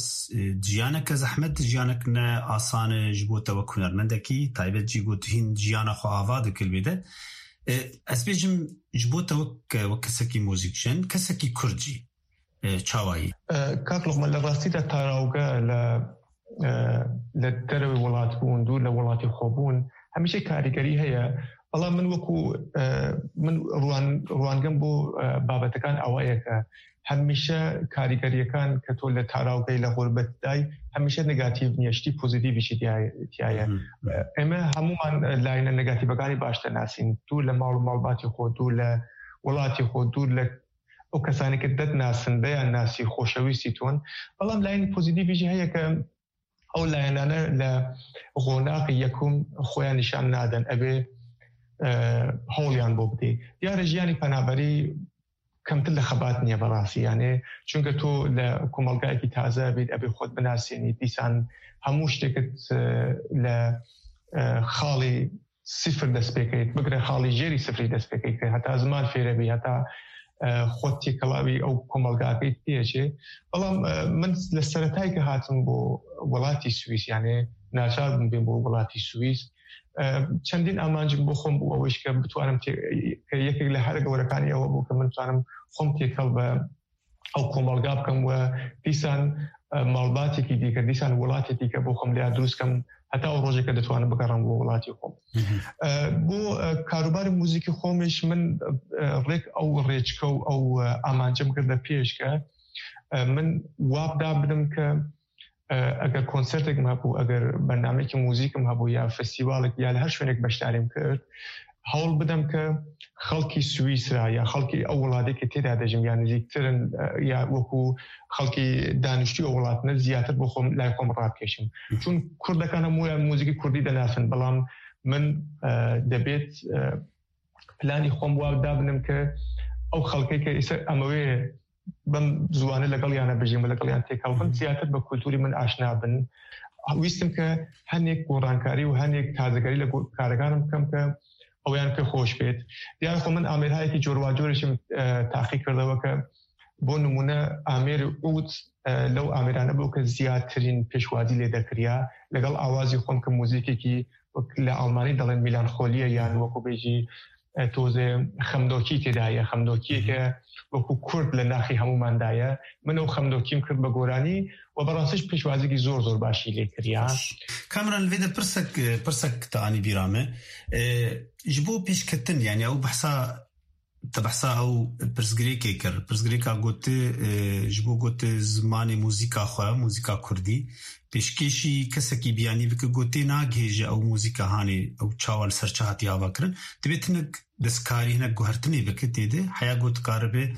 jiyaneke zehmet, jiyanek ne asan e ji bo te wek hunermendekî, taybet jî got hîn jiyana xwe ava dike li vê de. Ez bêjim, ji bo te wek, wek kesekî muzîkjen, kesekî kurd jî çawa yî? Kak Loqman, li rastî de tarawge li li derewê welat bûn, dûr li welatê xwe bûn, hemîşe karîgerî heye. Bela min wekû min ruan ruangem bo babetekan awayeke, hemîşe karîgeriyekan ke to li tarawgey li xurbet day, hemîşe negatîv niye, ştî pozîtîvî jî tiya ye. Ême hemûman layine negatîvekanî baş dinasîn, dûr li mal û malbatê xwe, dûr li welatê xwe, dûr li ew kesanê ke te dinasin, deyan nasî, xoşewîstî ton. Belam layînî pozîtîfî jî heye ke ew layenane li xonaqî yekum xwe ya nîşan nadin. Ev ê hewliyan bo bidê. Diyar e jiyanî penaberî kemtir li xebat niye berastî. Yanî çunke tu li komelgayekî taze bî, ev ê xwe binasînî, dîsan hemû ştêkit li xalî sifir dest pê kirî, bigre xalî jêrî sifirî dest pê kirî, heta ziman fêre bî, heta xwe têkilawî ew komelgakê tê çê. Belam min li seretayê ke hatim bo welatî Swîs, yanî naçar bûm bêm bo welatî Swîs. Çendîn amancim bo xwe bû, ew jî ke bitwanim ke yekek li here gewirekanî ew bû ke min bitanim xwe têkel be ew komelga bikim we dîsan malbatêkî dîke, dîsan welatê dîke bo xwe lêya dirûst kim, heta ew rojê ke ditwanim bigerim bo welatê xwe. Bo karûbarê muzîkî xwe jî min rêk ew rêçke û ew amancim girde pêş ke min wab da bidim ke eger konsertek min hebû, eger bernameyekî muzîkim hebû ya festîvalek ya li her şwênek beşdarî min kir, hewl bidim ke xelkî Swîsra ya xelkî ew welatê ke tê de dejim ya nizîktir in ya wekû xelkî daniştû ew welat ne ziyatir bo xwe lay xwe min rabkêşim. Çûn kurdekane mûya muzîkî kurdî dinasin, belam min debêt planî xwe wa da binim ke ew xelkê ke îse em wê bim ziwanê legel yan e bijîm û legel yan têkel bin, ziyatir bi kulturî min aşna bin. Wîstim ke hinek gorankarî û hinek tazegerî li karekan bikim ke ew yan pê xweş bêt. Diyar xwe min amêrhayekî corwacor jî min taqî kirdewe ke bo nimûne amêrê ûd lew amêrane bû ke ziyatirîn pêşwazî lê dekiriya. Legel awazî xwe ke muzîkekî wek li Almanî dalen melanxoliye yan wekû bêjî tozê xemdokî tê de ye, xemdokiyeke wekû kurd li naxî hemûman de ye. Min ew xemdokî min kir bi goranî û bi rastî jî pêşwazîkî zor zor başî lê kiriya. Kamran, li vê de pirsek, pirsek te anî bîra me. Ji bo pêşketin, yanî ew behsa, te behsa ew pirsgirêkê kir. Pirsgirêka gotî, ji bo gotî zimanê muzîka xwe, muzîka kurdî, pêşkêşî kesekî biyanî bike, gotê nagihêje ew muzîka hanê, ew çawa li ser çi hatiye avakirin. Divê hinek destkarî, hinek guhertinê bike tê de. Heya got karibe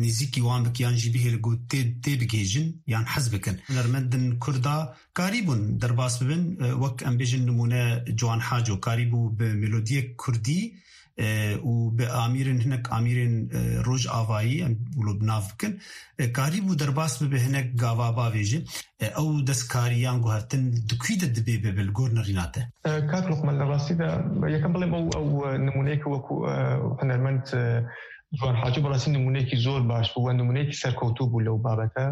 nêzîkî wan bike yan jî bihêle gotê tê bigihêjin yan hez bikin. Hunermendin kurda karîbûn derbas bibin, wek em bêjin nimûne Ciwan Haco karîbû bi melodiyek kurdî û bi amîrên, hinek amîrên rojavayî em wilo bi nav bikin, karîbû derbas bibe hinek gava bavêje. Ew destkarî yan guhertin di kû de dibê bibe li gor nerîna te? Kak Luqman, li rastî de yekem bilêm ew, ew nimûneyeke wekû hunermend Ciwan Haco bi rastî nimûneyekî zor baş bû we nimûneyekî serkewtû bû lew babete.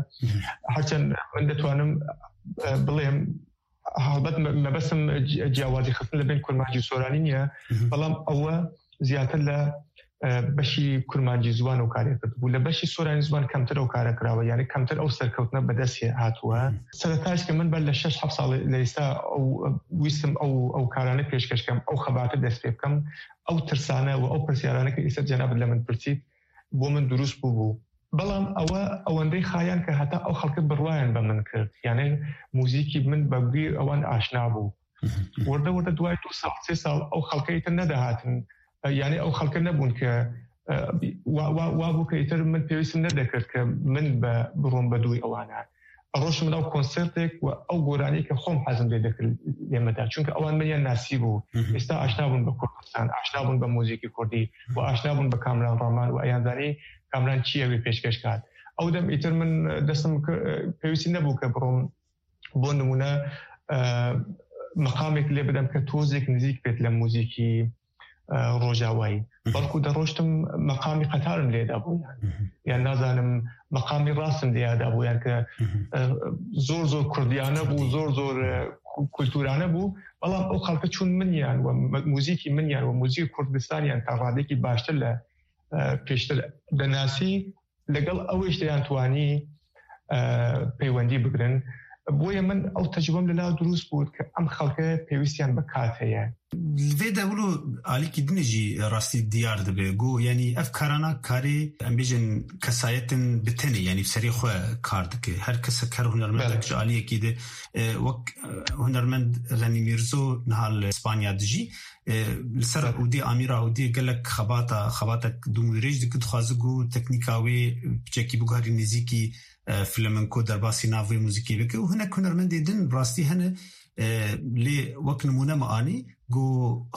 Herçend min ditwanim bilêm, helbet mebestim ciyawazî xistin li bên kurmancî û soranî niye, belam ew e ziyatir li beşî kurmancî ziwan ew karê kirdibû. Li beşî soranî ziwan kemtir ew kare kirawe, yanî kemtir ew serkewtine bi dest hatûye. Sereta jî ke min ber li şeş heft salê li êsta ew wîstim ew, ew karane pêşkeş kem, ew xebate dest pê bikim, ew tirsane û ew pirsyarane ke êsta cenabit li min pirsît, bo min dirûst bûbû. Belam ew e ewendey xayan ke heta ew xelke bi rwayan bi min kir. Yanî muzîkî min bi gûyê ewan aşna bû. Wirde wirde duway du sal, sê sal ew xelkeyê te nedihatin. Yanî ew xelke nebûn ke e, wa, wa, wa bû kە ئیتر من پێویستم نەدەکرد کە من بە بڕۆم بە دووی ئەوانە. ئەڕۆشتم ناو کۆنسێرتێک و ئەو گۆرانی کە خۆم حەزم لێ دەکرد لێ مەدا. چونکە ئەوان منیان ناسی بوو. ئێستا ئاشنا بوون بە کوردستان، ئاشنا بوون بە موزیکی کوردی و ئاشنا بوون بە کامران ڕامان و ئەیان زانی کامران چییە وێ پێشکەش کات. ئەو دەم ئیتر من دەستم ک-، پێویستی نەبوو کە بڕۆم بۆ نمونە، ئە، مەقامێک لێ بدەم کە تۆزێک نزیک بێت لە موزیکی، ئە، ڕۆژاوایی. بەڵکو دەڕۆشتم مەقامی قەتارم لێدا بوو، یان، یان نازانم مەقامی ڕاستم لێدا بوو، یان کە، ئە، زۆر زۆر کوردیانە بوو، زۆر زۆر، ئە، کو-، کولتورانە بوو. بەڵام ئەو خەڵکە چون منیان و مە-، موزیکی منیان و موزیکی کوردستانیان تا ڕادێکی باشتر لە، ئە، پێشتر دەناسی، لەگەڵ ئەوەیش دەیانتوانی، ئە، پەیوەندی بگرن. بۆیە من ئەو تەجروبەم لەلا دروست بوو کە ئەم خەڵکە پێویستیان بە کات هەیە. Li vê de wilo alîkî din jî rastî diyar dibe. Got, yanî ev karana karê, em bêjin, kesayetin bi tenê, yanî bi serê xwe kar dike. Her kesek, her hunermendek Belê. ji aliyekî de, e, wek, e, hunermend Xenî Mîrzo niha li Spanya dijî. E, li ser Tabii. Hûdî, Amîra Hûdî gelek xebata, xebatek dûm dirêj dike, dixwaze ku teknîka wê piçekî biguherî nêzîkî, e, flamenco, derbasî nav wê muzîkê bike û hinek hunermendê din rastî hene, e, lê wek nimûne me anî ku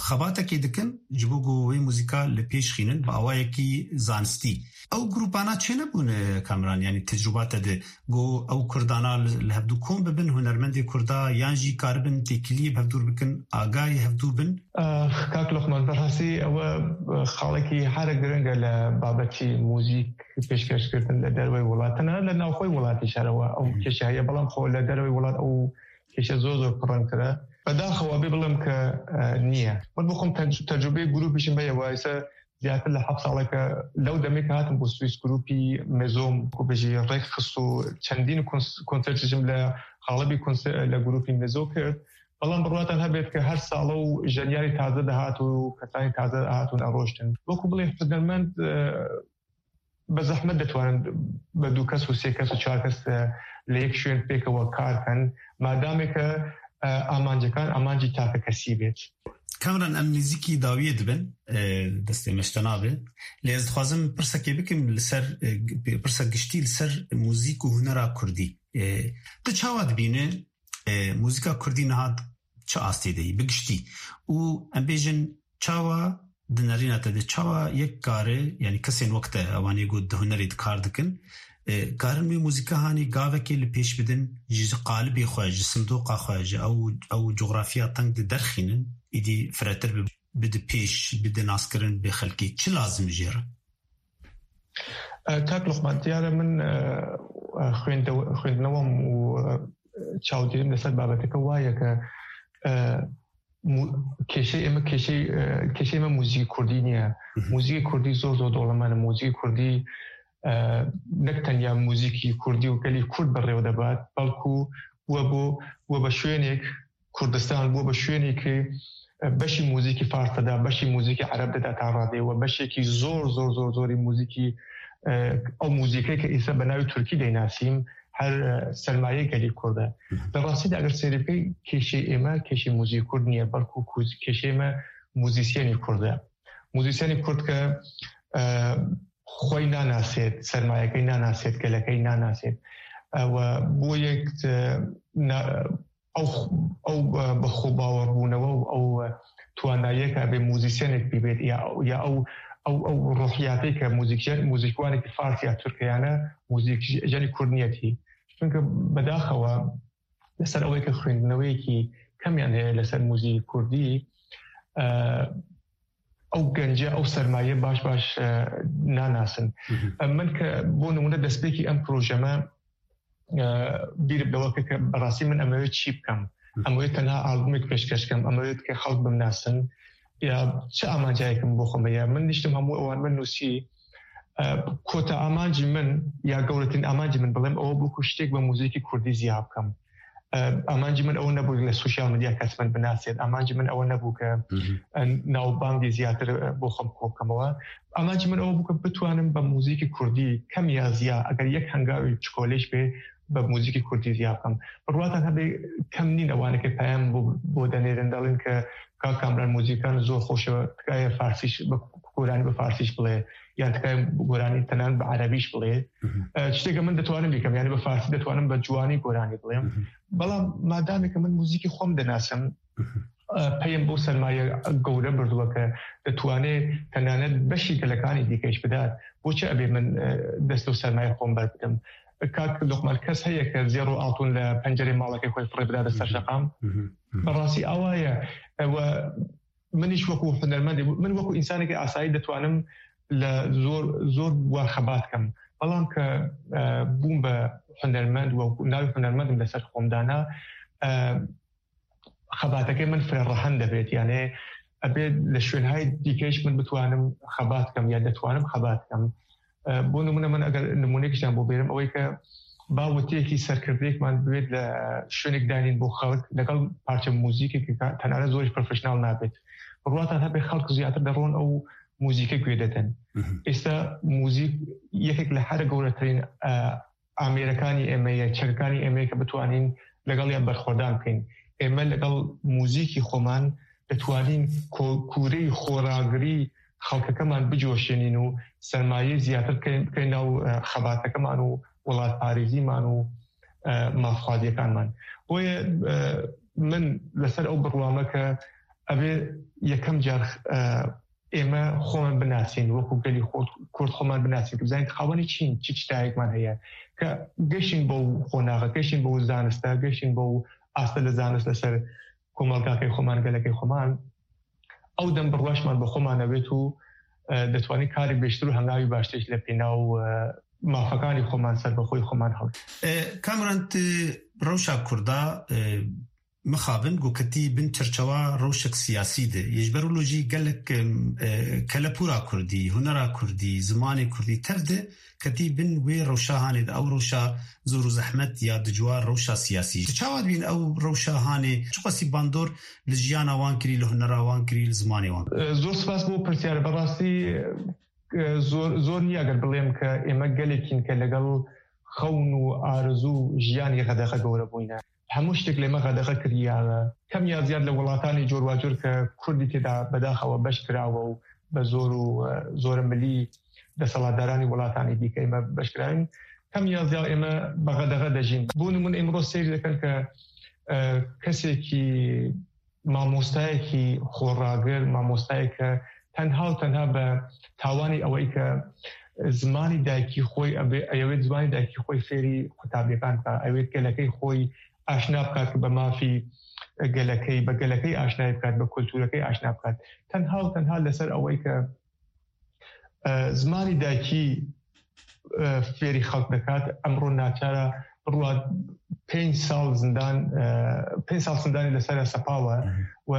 xebatekê dikin ji bo ku wê muzîka li pêş xînin bi awayekî zanistî. Ew grûpana çênebûne, Kamran, yanî tecrûba te de Got ew kurdana li, li hevdû kom bibin, hunermendê kurda, yan jî karibin têkiliyê bi hevdûr bikin, agahî hevdû bin? Eh, kak Lokman, berastî ew, eh, xalekî here giring e li babetî muzîk pêşkêşkirin li derveyî welat. Tenê li navxweyî welatî şer ew, ew Hı hı. kêşe heye, belam xwe li derveyî welat ew kêşe zor zor pirrengtir e. Bedaxewa bê bilim ke, eh, niye. Min bo xwe tec-, tecrûbeyê grûpî jî me ye, wayse ziyadtir li heft saleke lew demê ke hatim bo Swiss grûpî Mezom, ku bijî rêk xist û çendîn kons-, konser jî li xalibî konser li grûpî Mezo kir. Belam birwatan hebêt ke her salo jeniyarî taze dihat û kesanî taze dihat û eroştin. Wekû bilê hunermend, e, bi zehmet detwanin bi du kes û sê kes û çar kes, e, li yek şwên pêkewe kar kin. Madamê ke, e, amancekan amancî takekesî bêt. Kamran, em nêzîkî dawiyê dibin, e, destê me ji te nabe. Lê ez dixwazim pirsekê bikim li ser, e, g-, pirsa giştî li ser muzîk û hunera kurdî. E, tu çawa dibîne, e, muzîka kurdî niha çi astê de yî, bi giştî? Û em bêjin çawa di nerîna te de, çawa yek kare, yanî kesên wek te, ewanê ku di hunerê de kar dikin, e, karin wê muzîka hanî gavekê li pêş bidin, ji qalibê xwe, ji sindoqa xwe, ji ew, ew cografya teng de derxînin, îdî firetir bi, bide pêş, bide naskirin bi xelkê. Çi lazim jê re? E, Kak Lokman, diyar e min, e, e, xwênde-, xwêndinewam û, e, çawdêrim li ser babeteke wa ye ke, e, mu-, kêşeyê me, kêşey-, e, kêşeyê me muzîkê kurdî niye. Hı hı. Muzîkê kurdî zor zor dewlemend e. Muzîkê kurdî, e, nek tenya muzîkî kurdî û gelî kurd bi rêve de bat, belkû we bo, we be şwênêk Kurdistan bû be şwênekî, e, beşî muzîkî fars de da, beşî muzîkî ereb de da ta radê we, beşekî zor, zor, zor, zorî muzîkî, e, ew muzîkê ke îsa bi navê Tirkî de nasîm, her, e, sermayê gelî kurd e. Hı hı. Bi rastî de eger sêrê bikey, kêşê ême, kêşê muzîkî kurd niye, belkû ku-, kêşê me muzîsyenî kurd e. Muzîsyenî kurd ke, e, xwey nanasêt, sermayekey nanasêt, gelekey nanasêt. E, we bû yek, e, na-, ew, ew, e, bi xwe bawerbûnewe û ew, e, twanayiyeke bê muzîsyenek bîbêt, ya, ya ew, ew, ew ruhiyatê ke muzîkjen-, muzîkwanekî fars ya tirk heyane, muzîkjenî kurd niyetî. Çunke bedaxewa li ser ew yeke xwendineweyekî kemiyan heye li ser muzîkî kurdî, e, ew gence, ew sermaye baş baş, e, nanasin. Hı hı. E, min ke bo nimûne destpêkî em proje me, e, bîr bi lewe kir ke berastî min em ê çî bikim. Hı. Em ê tenha albûmek pêşkeş bikim, em ê ke xelk bimnasin. Ya çi amancayek min bo xwe me ye? Min niştim hemû ewan min nûsî. E, kota amancî min ya gewretirîn amancî min bilêm ew bû ku ştêk bi muzîkî kurdî ziya bikim. E, amancî min ew nebû li sosyal medya kes min binasêt. Amancî min ew nebû ke, Hı hı. e, navbangê ziyatir, e, bo xwe bi xwe bikemewe. Amancî min ew bû ke bitwanim bi muzîkî kurdî kemiya ziya, eger yek hengavê çikolêş bê, بە موزیکی کوردی زیاد بکەم. بڕواتان هەبێ کەم نین ئەوانە کە پەیام بۆ، بۆ دەنێرن، دەڵێن کە کاک کامران موزیکان زۆر خۆشە، تکایە فارسیش بە، گۆرانی بە فارسیش بڵێ، یان تکایە گۆرانی تەنان بە عەرەبیش بڵێ. ئە، شتێکە من دەتوانم بیکەم، یعنی بە فارسی دەتوانم بە جوانی گۆرانی بڵێم. بەڵام مادامێکە من موزیکی خۆم دەناسم، ئە، پەیم بۆ سەرمایە گەورە بردووە کە دەتوانێت تەنانەت بەشی گەلەکانی دیکەش بدات. بۆچی ئەبێ من، ئە، دەست لەو سەرمایە خۆم بەر بدەم؟ کاک لوقمان، کەس هەیە کە زێڕ و ئاڵتون لە پەنجەرەی ماڵەکەی خۆی فڕێ بداتە سەر شەقام؟ بەڕاستی ئەوایە. ئەوە منیش وەکو هونەرمەندێ، من وەکو ئینسانێکی ئاسایی دەتوانم لە زۆر، زۆر وار خەبات کەم. بەڵام کە، ئە، بووم بە هونەرمەند و ناوی هونەرمەندم لەسەر خۆم دانا، ئە، خەباتەکەی من فرە ڕەهەند دەبێت. یانێ ئەبێت لە شوێنهای دیکەیش من بتوانم خەبات کەم یا دەتوانم خەبات کەم. ئە، بۆ نمونە من ئەگەر نمونەیەکیشیان بۆ بێرم، ئەوەی کە با وتەیەکی سەرکردەیەکمان بوێت لە شوێنێک دانین بۆ خەڵک لەگەڵ پارچە موزیکێک کە تەنانەت زۆریش پرۆفشناڵ نابێت. بڕواتان هەبێ خەڵک زیاتر دەڕۆن ئەو موزیکە گوێ دەدەن. ئێستا موزیک یەکێک لە هەرە گەورەترین، ئە، ئامێرەکانی ئێمەیە، چەکەکانی ئێمەیە کە بتوانین لەگەڵیان بەرخۆدان بکەین. ئێمە لەگەڵ موزیکی خۆمان دەتوانین کۆ-، کوورەی خۆراگری خەڵکەکەمان بجۆشێنین و سەرمایەی زیاتر بکەین، بکەین ناو، ئە، خەباتەکەمان و وڵاتپارێزیمان و، ئە، مافخوازیەکانمان. بۆیە، ئە، من لەسەر ئەو بڕوامە کە ئەبێ یەکەم جار، ئە، ئێمە خۆمان بناسین، وەکو گەلی خۆ-، کورد خۆمان بناسین، کە بزانین خاوەنی چین، چی چتایەکمان هەیە، کە گەشین بۆ قۆناغە، گەشین بۆ زانستە، گەشین بۆ ئاستە لە زانست لەسەر کۆمەڵگاکەی خۆمان، گەلەکەی خۆمان. ئەو دەم بڕواشمان بە خۆمان ئەبێت و، ئە، دەتوانین کاری بێشتر و هەنگاوی باشتریش لە پێناو، ئە، مافەکانی خۆمان، سەربەخۆی خۆمان هەڵ. ئە، کامران، تی ڕەوشا کوردا، ئە، مخابن گو کەتی بن چەرچەوا ڕەوشەک سیاسی دێ. یەژبەر ولۆژی گەلک، ئە، کەلەپورا کوردی، هونەرا کوردی، زمانی کوردی تەر دێ کەتی بن وێ ڕەوشا هانێ دە ئەو ڕەوشا زۆر و زەحمەت یا دجوار ڕەوشا سیاسی. چاوا دبین ئەو ڕەوشا هانێ چقەسی باندۆر لە ژیانا وان کری، لە هونەرا وان کری، لە زمانی وان؟ ئە، زۆر سپاس بۆ پرسیارە. بەڕاستی، ئە، زۆر، زۆر نییە گەر بڵێم کە ئێمە گەلێکین کە لەگەڵ خەون و ئارزوو و ژیانی غەدەغە گەورە بووینە. هەموو شتێک لێمە غەدەغە کریاوە. کەم یا زیاد لە وڵاتانی جۆرواجۆر کە کوردی تێدا بەداخەوە بەش کراوە و بە زۆر و، ئە، زۆرە ملی دەسەڵاتدارانی وڵاتانی دیکە ئێمە بەش کراوین. کەم یا زیاد ئێمە بە غەدەغە دەژین. بۆ نمونە ئێمڕۆ سیر دەکەن کە، ئە، کەسێکی مامۆستایەکی خۆڕاگر، مامۆستایەک کە تەنها و تەنها بە تاوانی ئەوەی کە زمانی دایکی خۆی ئەبێ، ئەیەوێت زمانی دایکی خۆی فێری قوتابیەکان بکات، ئەوێت گەلەکەی خۆی ئاشنا بکات بە مافی گەلەکەی، بە گەلەکەی ئاشنای بکات، بە کولتورەکەی ئاشنا بکات. تەنها و تەنها لەسەر ئەوەی کە، ئە، زمانی دایکی، ئە، فێری خەڵک دەکات، ئەمڕۆ ناچارە بڕوات پێنج ساڵ زیندان، ئە، پێنج ساڵ زیندانی لەسەر سەپاوە و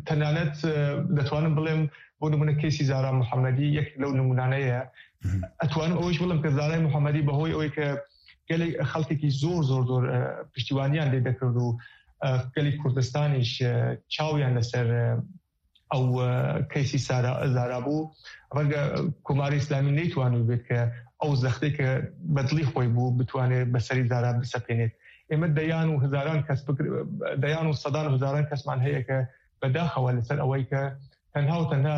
تەنانەت، ئە، دەتوانم بڵێم بۆ نمونە کەیسی زارا محەممەدی یەک لەو نمونانەیە. ئەتوانم ئەوەیش بڵێم کە زارای محەممەدی بەهۆی ئەوەی کە گەلێک خەڵکێکی زۆر، زۆر، زۆر، ئە، پشتیوانیان لێ دەکرد و، ئە، گەلی کوردستانیش، ئە، چاویان لەسەر، ئە، ئەو، ئە، کەیسی سارا، زارا بوو. ڕەنگە کۆماری ئیسلامی نەیتوانیبێت کە ئەو زەختەی کە بەدڵی خۆی بوو بتوانێت بەسەری زارا بسەپێنێت. ئێمە دەیان و هەزاران کەس بکر-، دەیان و سەدان و هەزاران کەسمان هەیە کە بەداخەوە لەسەر ئەوەی کە تەنها و تەنها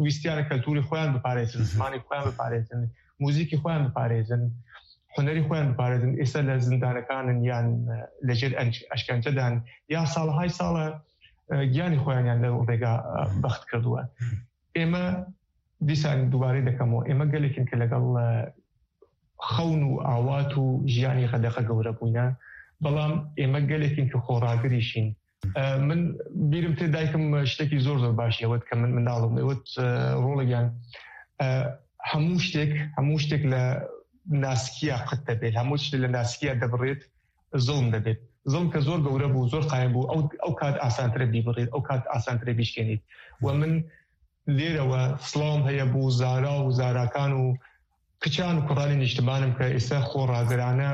ویستیانە کەلتوری خۆیان بپارێزن، زمانی خۆیان بپارێزن، موزیکی خۆیان بپارێزن، هونەری خۆیان بپارێزن، ئێستا لە زیندانەکانن یان، ئە، لەژێر ئەنج-، ئەشکەنجەدان، یا ساڵهای ساڵە، ئە، گیانی خۆیانیان لەو ڕێگا، ئە، بەخت کردووە. ئێمە دیسان دووبارەی دەکەمەوە، ئێمە گەلێکین کە لەگەڵ، ئە، خەون و ئاوات و ژیانی غەدەغە گەورە بووینە، بەڵام ئێمە گەلێکین کە خۆڕاگریشین. ئە، من بیرم تێ دایکم شتێکی زۆر زۆر باشی ئەوت کە من منداڵم ئەوت، ئە، ڕۆڵێکیان، ئە، هەموو شتێک، هەموو شتێک لە ناسکیە قوت دەبێت، هەموو شتێک لە ناسکیە دەبڕێت، زڵم دەبێت. زڵم کە زۆر گەورە بوو، زۆر قایم بوو، ئەو، ئەو کات ئاسانترە بیبڕێت، ئەو کات ئاسانترە بیشکێنیت. و من لێرەوە سڵاوم هەیە بۆ زارا و زاراکان و کچان و کوڕانی نیشتمانم کە ئێستا خۆڕاگرانە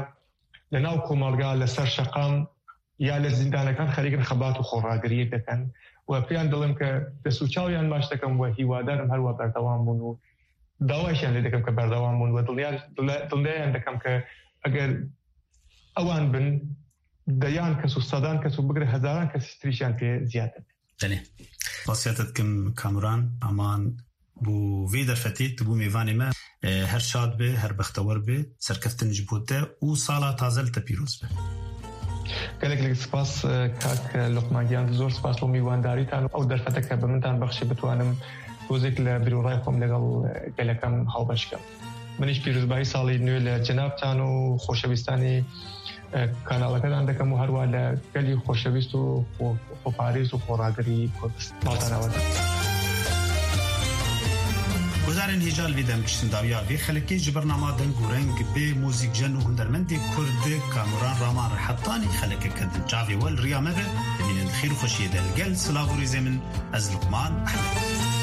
لە ناو کۆمەڵگا لەسەر شەقام یا لە زیندانەکان خەریکن خەبات و خۆڕاگریەک دەکەن و پێیان دەڵێم کە دەست و چاویان ماچ دەکەم و هیوادارم هەروە بەردەوام بوون و داوایشیان لێ دەکەم کە بەردەوام بوون و دڵنیا-، دڵ-، دڵنیایان دەکەم کە ئەگەر ewan bin deyan kes û sedan kes û bigire hezaran kes îştirîşiyan tê ziyade be. Belê. Spasiya te dikim Kamuran Aman bo vê derfetê tu bû mêvanê me. E, her şad be, her bextewar be, serkeftin ji bo te û sala taze li te pîroz be. Gelek gelek spas, e, kak, e, Lokman Giyan, zor spas bo mîwandarîtan û ew derfeteke bi min dan bexşî bitwanim tozêk li bîrorayê xwe legel, e, gelek em hawbeş kim. Min îş pîrozbahî salê nû li cenabtan û xoşewîstanê, e, kanaleke dan dikim û herwa li gelî xoşewîst û xwe-, xweparêz û xweragirî Kurdistan. Maltana we. Guhdarên hêja li vê dem kiştin dawiya vê xelekê ji bernama Deng û Reng bê muzîkjen û hundermendê Kurd Kamuran Raman re hetanî xelekeke din çavê we li riya me be. Bimînin di xêr û xweşiyê de li gel silav û rêzê min ez Luqman Ehmed.